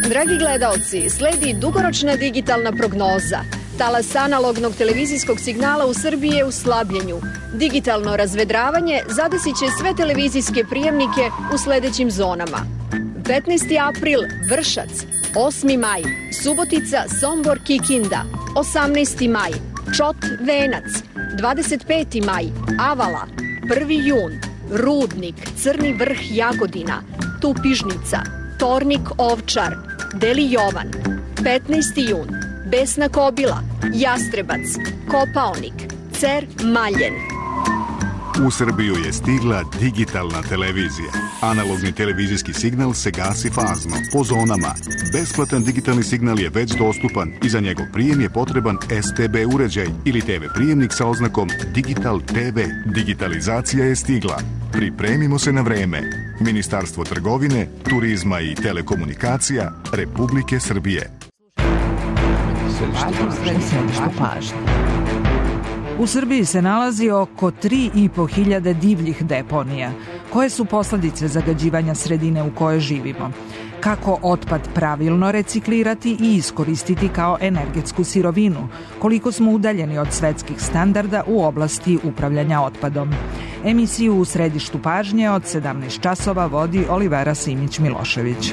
Dragi gledaoci, sledi dugoročna digitalna prognoza. Talas analognog televizijskog signala u Srbiji je u slabljenju. Digitalno razvedravanje zadesit će sve televizijske prijemnike u sledećim zonama. petnaesti april Vršac, osmi maj Subotica, Sombor, Kikinda, osamnaesti maj Čot, Venac, dvadeset peti maj Avala, prvi jun Rudnik, Crni Vrh, Jagodina, Tupižnica, Tornik, Ovčar, Deli Jovan, petnaesti jun Besna Kobila, Jastrebac, Kopaonik, Cer, Maljen. U Srbiju je stigla digitalna televizija. Analogni televizijski signal se gasi fazno, po zonama. Besplatan digitalni signal je već dostupan i za njegov prijem je potreban es te be uređaj ili te ve prijemnik sa oznakom Digital te ve. Digitalizacija je stigla. Pripremimo se na vreme. Ministarstvo trgovine, turizma i telekomunikacija Republike Srbije. Središte pažnje. U Srbiji se nalazi oko tri i po hiljade divljih deponija. Koje su posledice zagađivanja sredine u kojoj živimo? Kako otpad pravilno reciklirati i iskoristiti kao energetsku sirovinu? Koliko smo udaljeni od svetskih standarda u oblasti upravljanja otpadom? Emisiju U središtu pažnje od sedamnaest časova vodi Olivera Simić-Milošević.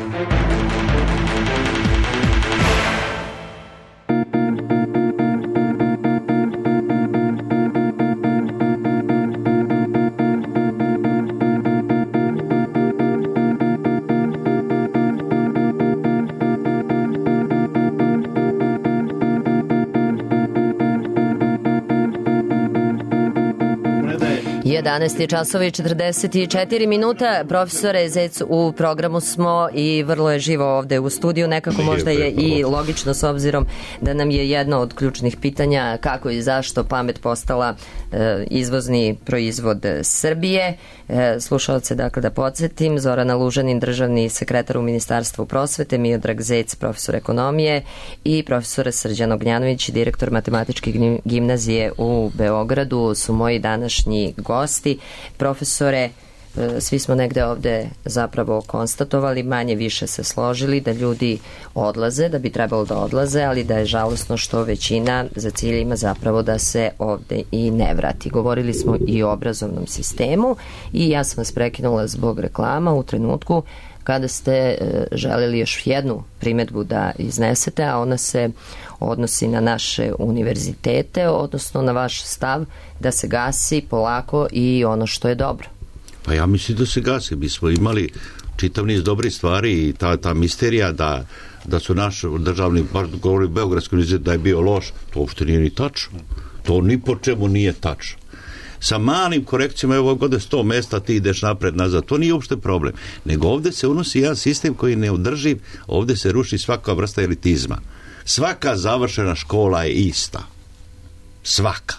jedanaest časova i četrdeset četiri minuta. Profesore Zec, u programu smo i vrlo je živo ovde u studiju. Nekako možda je i logično s obzirom da nam je jedno od ključnih pitanja kako i zašto pamet postala e, izvozni proizvod Srbije. E, slušalce, dakle, da podsjetim, Zorana Lužanin, državni sekretar u Ministarstvu prosvete, Miodrag Zec, profesor ekonomije i profesor Srđan Ognjanović, direktor matematičke gimnazije u Beogradu su moji današnji gosti. Profesore, svi smo negde ovde zapravo konstatovali, manje više se složili da ljudi odlaze, da bi trebalo da odlaze, ali da je žalosno što većina za cilj ima zapravo da se ovde i ne vrati. Govorili smo i o obrazovnom sistemu i ja sam vas prekinula zbog reklama u trenutku kada ste želeli još jednu primedbu da iznesete, a ona se odnosi na naše univerzitete, odnosno na vaš stav da se gasi polako i ono što je dobro. Pa ja mislim da se gasi. Mi smo imali čitav niz dobrih stvari i ta, ta misterija da, da su naš državni, baš govori Beogradski univerzitet da je bio loš, to uopšte nije ni tačno. To ni po čemu nije tačno. Sa malim korekcijama, evo godine sto mesta, ti ideš napred, nazad, to nije uopšte problem. Nego ovde se unosi jedan sistem koji je neodrživ, ovde se ruši svaka vrsta elitizma. Svaka završena škola je ista. Svaka.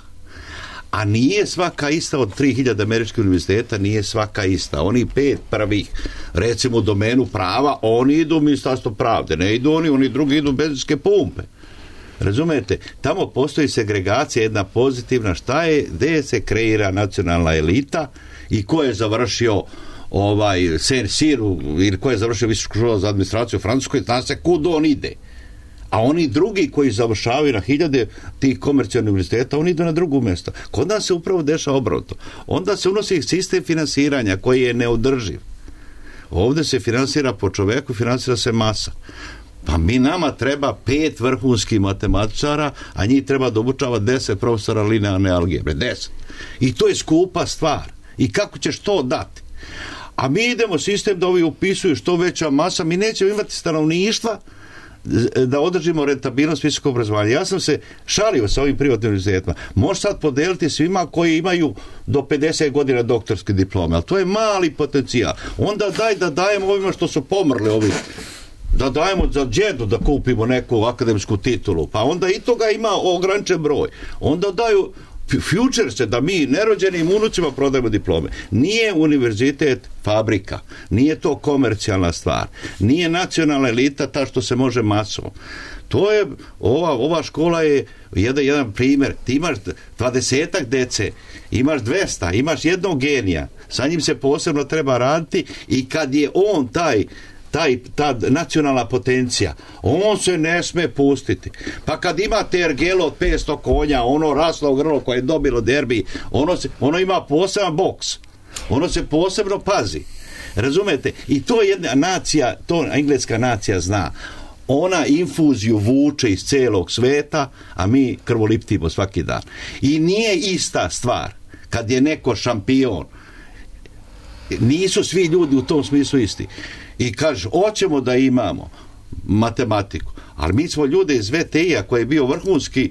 A nije svaka ista od tri hiljade američkih univerziteta, nije svaka ista. Oni pet prvih, recimo u domenu prava, oni idu u Ministarstvo pravde, ne idu oni, oni drugi idu u benzinske pumpe. Razumete? Tamo postoji segregacija, jedna pozitivna, šta je, gde se kreira nacionalna elita i ko je završio ovaj Saint-Cyr ili ko je završio visoku školu za administraciju u Francuskoj, zna se kud on ide. A oni drugi koji završavaju na hiljade tih komercijalnih univerziteta, oni idu na drugo mjesto. Kod nas se upravo dešava obrnuto. Onda se unosi sistem finansiranja koji je neodrživ. Ovdje se finansira po čoveku, finansira se masa. Pa mi nama treba pet vrhunskih matematičara, a njih treba da obučava deset profesora linearne algebre. Deset. I to je skupa stvar. I kako ćeš to dati? A mi idemo sistem da ovi upisuju što veća masa, mi nećemo imati stanovništva da održimo rentabilnost visokog obrazovanja. Ja sam se šalio sa ovim privatnim univerzitetima. Može sad podeliti svima koji imaju do pedeset godina doktorske diplome, ali to je mali potencijal. Onda daj da dajemo ovima što su pomrli, ovi da dajemo za džedu da kupimo neku akademsku titulu, pa onda i toga ima ograničen broj. Onda daju future, da mi nerođenim unucima prodajemo diplome. Nije univerzitet fabrika, nije to komercijalna stvar, nije nacionalna elita ta što se može masom. To je, ova, ova škola je jedan, jedan primjer. Ti imaš dvadesetak dece, imaš dvesta, imaš jednog genija, sa njim se posebno treba raditi i kad je on taj Taj, ta nacionalna potencija, on se ne sme pustiti. Pa kad imate ergelo od petsto konja, ono raslo grlo koje je dobilo derbi, ono, se, ono ima poseban boks. Ono se posebno pazi. Razumete? I to je jedna nacija, to engleska nacija zna. Ona infuziju vuče iz celog sveta, a mi krvoliptimo svaki dan. I nije ista stvar kad je neko šampion. Nisu svi ljudi u tom smislu isti. I kaže, hoćemo da imamo matematiku, ali mi smo ljude iz V T I-a koji je bio vrhunski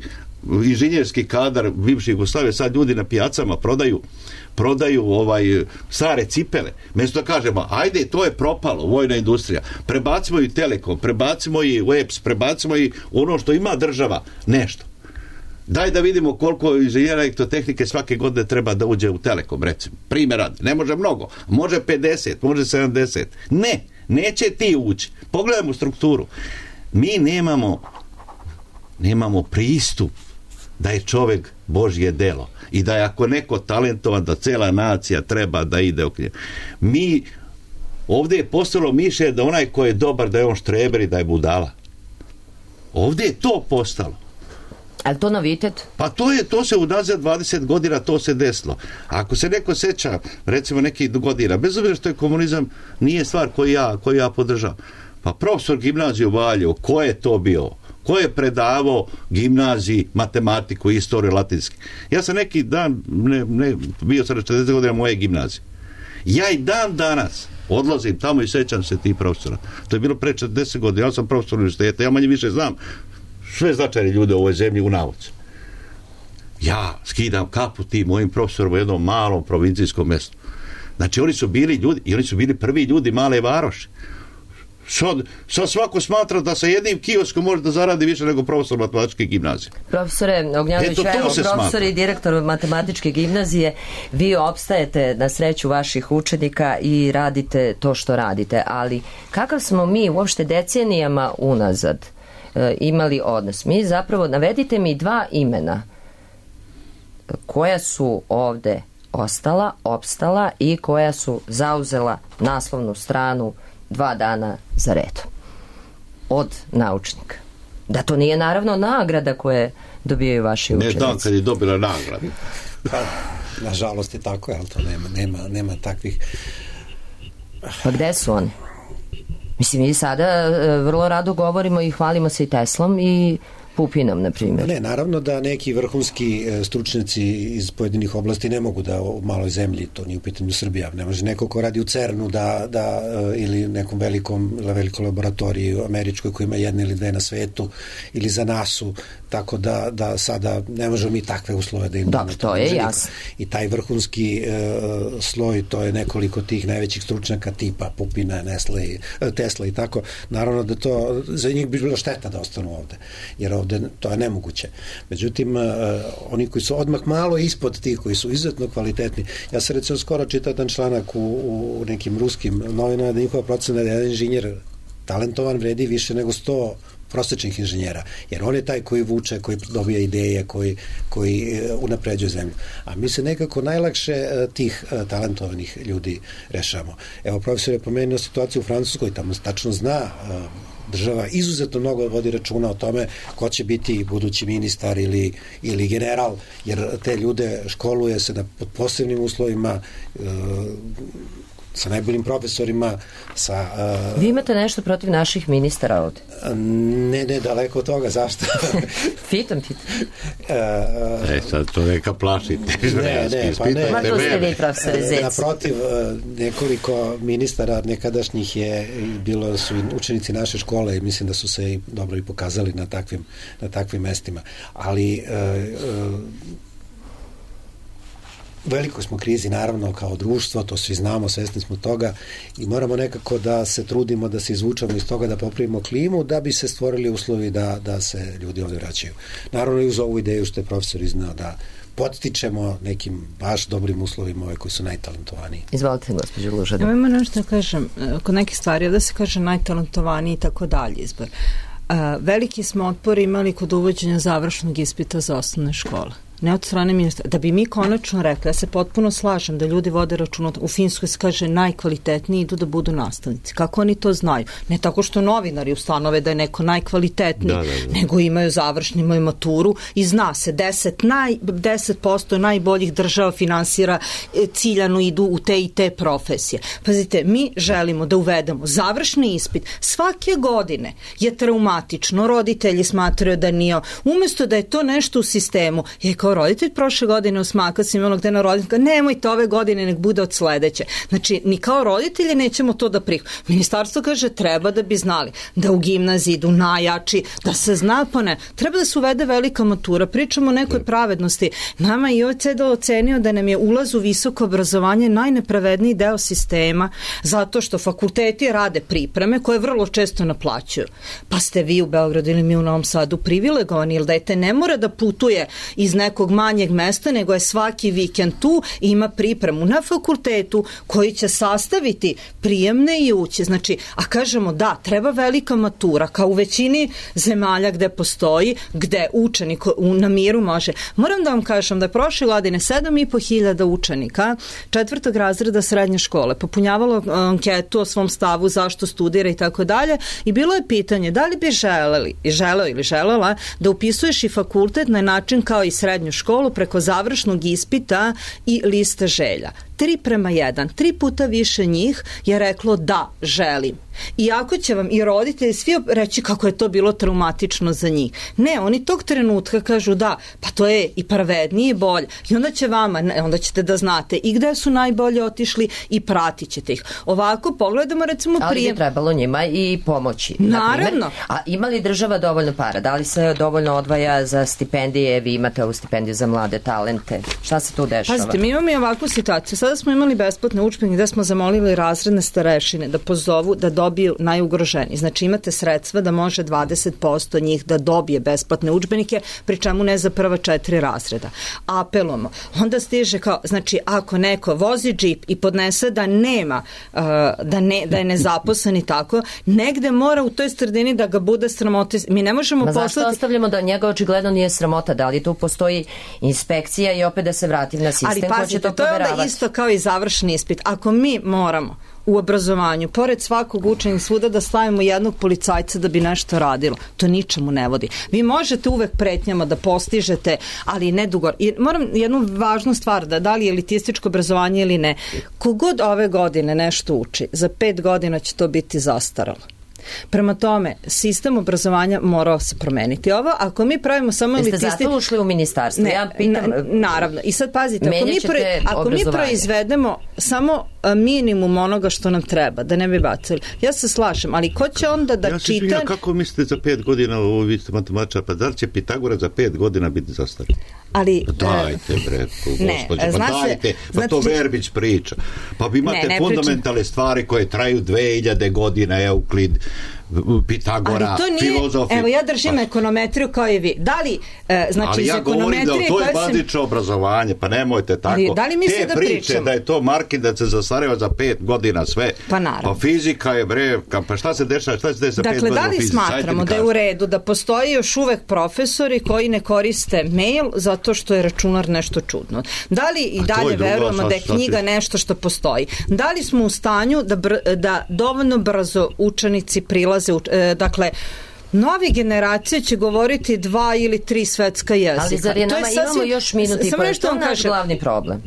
inženjerski kadar bivše Jugoslavije, sad ljudi na pijacama prodaju prodaju ovaj stare cipele. Mesto da kažemo, ajde, to je propalo, vojna industrija, prebacimo i Telekom, prebacimo i u E P S, prebacimo i ono što ima država, nešto. Daj da vidimo koliko inženjera elektrotehnike svake godine treba da uđe u Telekom, recimo. Primjer radi. Ne može mnogo. Može pedeset, može sedamdeset. Ne, neće ti ući. Pogledajmo strukturu. Mi nemamo nemamo pristup da je čovjek Božje delo i da je ako neko talentovan, da cela nacija treba da ide ok. Mi ovdje je postalo mišljenje da onaj ko je dobar, da je on štreber i da je budala. Ovdje je to postalo. Ali to novitet? Pa to je, to se unazad dvadeset godina to se desilo. Ako se neko seća, recimo nekih godina, bez obzira što je komunizam, nije stvar koju ja, koju ja podržavam. Pa profesor gimnazije u Valjevu, ko je to bio? Ko je predavao gimnaziji matematiku, istoriju, latinski? Ja sam neki dan, ne, ne, bio sam četrdeset godina moje gimnazije. Ja i dan danas odlazim tamo i sećam se tih profesora. To je bilo pre četrdeset godina, ja sam profesor univerziteta, ja manje više znam sve značajne ljude u ovoj zemlji u nauci. Ja skidam kapu tim mojim profesorom u jednom malom provincijskom mjestu. Znači oni su bili ljudi, i oni su bili prvi ljudi male varoši. Sad, sad svako smatra da sa jednim kioskom može da zaradi više nego profesor matematičke gimnazije. Profesore Ognjanović, evo, profesor i direktor matematičke gimnazije, vi opstajete na sreću vaših učenika i radite to što radite, ali kakav smo mi uopšte decenijama unazad e, imali odnos? Mi zapravo, navedite mi dva imena koja su ovde ostala, opstala i koja su zauzela naslovnu stranu dva dana za redom od naučnika. Da to nije naravno nagrada koje dobijaju vaši učenici. Ne znam kad je dobila nagradu. Pa, nažalost je tako, ali to nema, nema, nema takvih... Pa gde su oni? Mislim, mi sada vrlo rado govorimo i hvalimo se i Teslom i Pupinom, na primjer. Ne, naravno da neki vrhunski stručnjaci iz pojedinih oblasti ne mogu da u maloj zemlji, to nije u pitanju Srbija, ne može neko ko radi u CERN-u da, da, ili nekom velikom, velikoj laboratoriji američkoj koja ima jedne ili dve na svetu, ili za nasu, tako da, da sada ne možemo mi takve uslove da imamo. Dobro, to je jasno. I taj vrhunski e, sloj, to je nekoliko tih najvećih stručnjaka tipa Pupina, Nestle, Tesla i tako. Naravno da to, za njih bi bilo šteta da ostanu ovde, jer ovde to je nemoguće. Međutim, oni koji su odmah malo ispod tih, koji su izuzetno kvalitetni, ja sam recimo skoro čitao jedan članak u, u nekim ruskim novinama da njihova procena da jedan inženjer talentovan vredi više nego sto prosječnih inženjera, jer on je taj koji vuče, koji dobija ideje, koji, koji unapređuje zemlju. A mi se nekako najlakše tih talentovanih ljudi rešamo. Evo, profesor je pomenuo situaciju u Francuskoj, tamo tačno zna, država izuzetno mnogo vodi računa o tome ko će biti budući ministar ili, ili general, jer te ljude školuje se da pod posebnim uslovima, e, sa najboljim profesorima, sa... Uh, Vi imate nešto protiv naših ministara ovde? Ne, ne, daleko od toga, zašto? Pitam, pitam. Uh, e, sad to neka plašite. Ne, ne, pa ne. Ma to ste vi, profesore Zec. Naprotiv, nekoliko ministara nekadašnjih je, bilo su učenici naše škole i mislim da su se i dobro i pokazali na takvim, na takvim mestima. Ali... Uh, uh, u velikoj smo krizi, naravno, kao društvo, to svi znamo, svesni smo toga i moramo nekako da se trudimo da se izvučemo iz toga, da popravimo klimu, da bi se stvorili uslovi da, da se ljudi ovde vraćaju. Naravno i uz ovu ideju što je profesor iznao da podstičemo nekim baš dobrim uslovima ove koji su najtalentovaniji. Izvolite, gospođo Lužada. Ja ima nešto da kažem, kod nekih stvari, da se kaže najtalentovaniji i tako dalje izbor. Veliki smo otpor imali kod uvođenja završnog ispita za osnovne škole. Ne od strane ministra. Da bi mi konačno rekli, ja se potpuno slažem da ljudi vode računa, u Finskoj se kaže najkvalitetniji idu da budu nastavnici. Kako oni to znaju? Ne tako što novinari ustanove da je neko najkvalitetniji, da, da, da. nego imaju završni, imaju maturu i zna se deset, naj, deset posto najboljih država finansira ciljano idu u te i te profesije. Pazite, mi želimo da uvedemo završni ispit. Svake godine je traumatično. Roditelji smatraju da nije. Umesto da je to nešto u sistemu, je kao roditelj prošle godine usmaka sam imala gde na roditelj, nemojte ove godine, nek bude od sledeće. Znači, ni kao roditelji nećemo to da prihvatimo. Ministarstvo kaže, treba da bi znali da u gimnaziji idu najjači, da se zna, pa ne. Treba da se uvede velika matura. Pričamo o nekoj pravednosti. Nama je I O C D ocenio da nam je ulaz u visoko obrazovanje najnepravedniji deo sistema, zato što fakulteti rade pripreme koje vrlo često naplaćuju. Pa ste vi u Beogradu ili mi u Novom Sadu privilegovani, ili dete ne mora da putuje iz nekog manjeg mesta, nego je svaki vikend tu i ima pripremu na fakultetu koji će sastaviti prijemne i ući. Znači, a kažemo da, treba velika matura, kao u većini zemalja gde postoji, gde učenik na miru može. Moram da vam kažem da je prošle godine sedam i po hiljada učenika četvrtog razreda srednje škole popunjavalo anketu o svom stavu, zašto studira i tako dalje, i bilo je pitanje da li bi želeli, želeo ili želela da upisuješ i fakultet na način kao i srednju školu preko završnog ispita i liste želja. tri prema jedan, tri puta više njih je reklo da, želim. Iako će vam i roditelji svi reći kako je to bilo traumatično za njih. Ne, oni tog trenutka kažu da, pa to je i pravednije i bolje. I onda će vama, onda ćete da znate i gde su najbolje otišli i pratit ćete ih. Ovako pogledamo recimo ali prije... bi trebalo njima i pomoći. Naravno. A ima li država dovoljno para? Da li se dovoljno odvaja za stipendije? Vi imate ovu stipendiju za mlade talente. Šta se tu dešava? Pazite, mi imamo i ovakvu situaciju. Sada smo imali besplatne udžbenike gde smo zamolili razredne starešine da pozovu da dobiju najugroženiji. Znači imate sredstva da može dvadeset posto njih da dobije besplatne udžbenike, pri čemu ne za prva četiri razreda. Apelujemo. Onda stiže kao, znači ako neko vozi džip i podnese da nema, uh, da, ne, da je nezaposlen i tako, negde mora u toj sredini da ga bude sramota. Mi ne možemo Ma poslati... zašto ostavljamo da njega očigledno nije sramota? Da li tu postoji inspekcija i opet da se vratim na sistem? Ali pazite, to, to je onda isto kao i završni ispit. Ako mi moramo u obrazovanju, pored svakog učenja svuda da stavimo jednog policajca da bi nešto radilo, to ničemu ne vodi. Vi možete uvek pretnjama da postižete, ali ne dugo. I moram jednu važnu stvar, da da li je elitističko obrazovanje ili ne, kogod ove godine nešto uči, za pet godina će to biti zastaralo. Prema tome, sistem obrazovanja morao se promeniti. Ovo, ako mi pravimo samo elitisti... Jeste zato ušli u ministarstvo? Ne, ja pitam... na, naravno. I sad pazite, ako mi, pro, ako mi proizvedemo samo minimum onoga što nam treba, da ne bi bacili. Ja se slažem, ali ko će onda da ja se čita... Ja kako mislite za pet godina, ovo vi ste matematičar, pa da li će Pitagora za pet godina biti zastario? Ali... Dajte, bre, gospođe, pa dajte, pa znači, to Verbić priča. Pa vi imate ne, ne fundamentalne pričam. Stvari koje traju dve hiljade godina, Euklid, Pitagora, ali to nije, filozofi. Evo ja držim pa, ekonometriju kao i vi. Da li, e, znači ali ja govorim da to je bazično sam... obrazovanje, pa nemojte tako. Ali, da li mi te da priče pričamo? Da je to market da se zastareva za pet godina sve. Pa naravno. Pa fizika je bre, pa šta se dešava, šta se dešava za dakle, pet godina da li fizici? smatramo da je u redu da postoji još uvek profesori koji ne koriste mail zato što je računar nešto čudno? Da li i dalje verujemo da je knjiga nešto što postoji? Da li smo u stanju da, br, da dovoljno brzo učenici prilaze, u, e, dakle, novi generacije će govoriti dva ili tri svetska jezika. Ali zar je nama, je sasvim, imamo još minuti, pa je to naš kažem. glavni problem?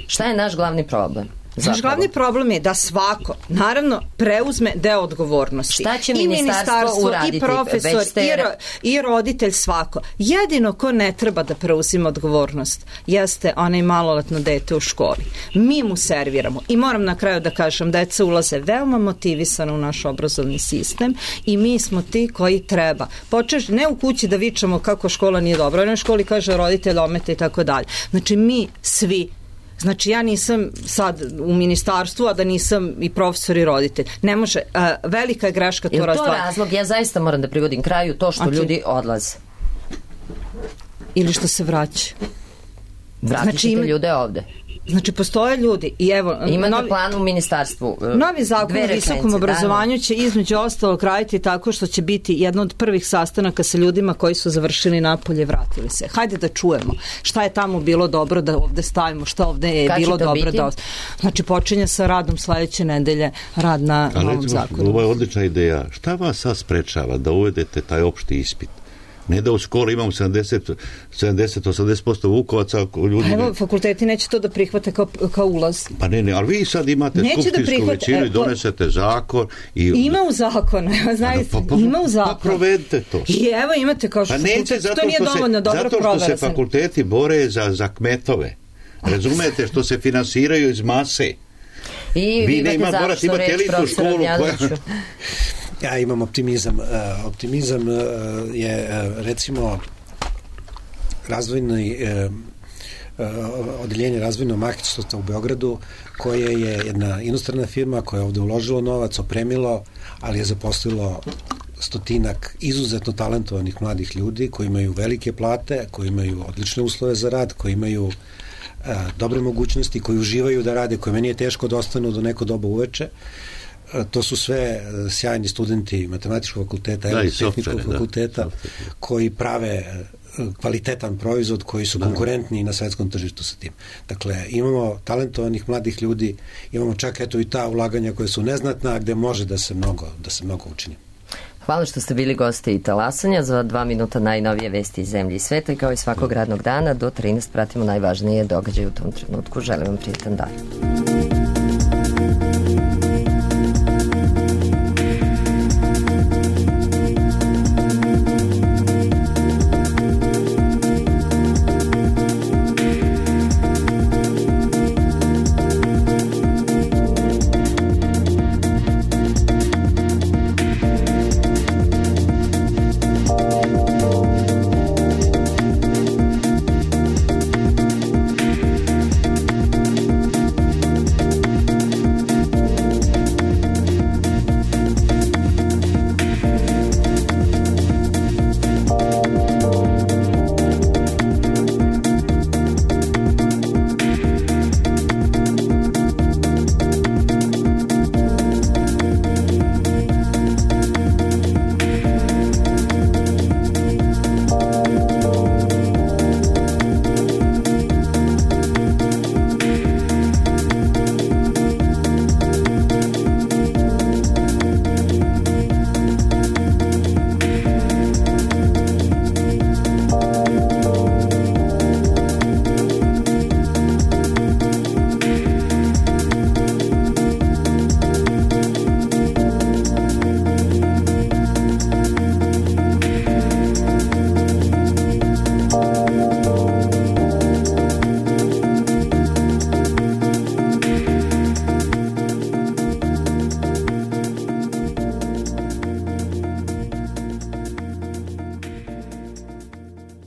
Šta je naš glavni problem? Zapravo. Naš glavni problem je da svako, naravno, preuzme deo odgovornosti. Šta će I ministarstvo uraditi? I profesor, ste... i, ro, i roditelj, svako. Jedino ko ne treba da preuzima odgovornost jeste onaj maloletno dete u školi. Mi mu serviramo. I moram na kraju da kažem, deca ulaze veoma motivisano u naš obrazovni sistem i mi smo ti koji treba. Počeš ne u kući da vičamo kako škola nije dobra, na školi kaže roditelj ometa i tako dalje. Znači mi svi. Znači ja nisam sad u ministarstvu, a da nisam i profesor i roditelj. Ne može, uh, velika je greška to razdvajati. Je to razlog, ja zaista moram da privodim kraju, to što okay. ljudi odlaze? Ili što se vraća. Vratit ćete znači, ljude ovde. Znači postoje ljudi i evo imate novi, plan u ministarstvu. Novi zakon o visokom obrazovanju će između ostalog raditi tako što će biti jedno od prvih sastanaka sa ljudima koji su završili napolje, vratili se. Hajde da čujemo šta je tamo bilo dobro da ovde stavimo, šta ovde je kad bilo dobro biti? Da ost... Znači počinje sa radom sledeće nedelje, rad na ali novom zakonu. Ovo je odlična ideja. Šta vas sad sprečava da uvedete taj opšti ispit? Ne da u školi imamo sedamdeset do osamdeset posto vukovaca ljudi. Pa evo, fakulteti neće to da prihvate kao, kao ulaz. Pa ne, ne, ali vi sad imate neće skupštinsku da većinu i donesete zakon. I... Ima u zakonu, znači, pa, pa, ima u zakonu. Pa provedite to. I evo imate kao što pa neće, zato to nije dovoljno se, dobro zato što se fakulteti bore za, za kmetove. Razumete, što se finansiraju iz mase. I vi imate ima, završnu reč, profesor Radnjanoviću. Ja imam optimizam. Uh, optimizam uh, je, uh, recimo, razvojni uh, uh, odeljenje razvojnog marketinga u Beogradu, koje je jedna inostrana firma koja je ovde uložila novac, opremilo, ali je zaposlilo stotinak izuzetno talentovanih mladih ljudi koji imaju velike plate, koji imaju odlične uslove za rad, koji imaju uh, dobre mogućnosti, koji uživaju da rade, koje meni je teško da ostanu do neko doba uveče. To su sve sjajni studenti matematičkog fakulteta, elektrotehničkog fakulteta, da, koji prave kvalitetan proizvod, koji su da. konkurentni na svetskom tržištu sa tim. Dakle, imamo talentovanih mladih ljudi, imamo čak eto i ta ulaganja koje su neznatna, gde može da se mnogo, da se mnogo učini. Hvala što ste bili gosti i Talasanja. Za dva minuta najnovije vesti iz zemlje i sveta i kao i svakog radnog dana do trinaest pratimo najvažnije događaje u tom trenutku. Želim vam prijetan dan.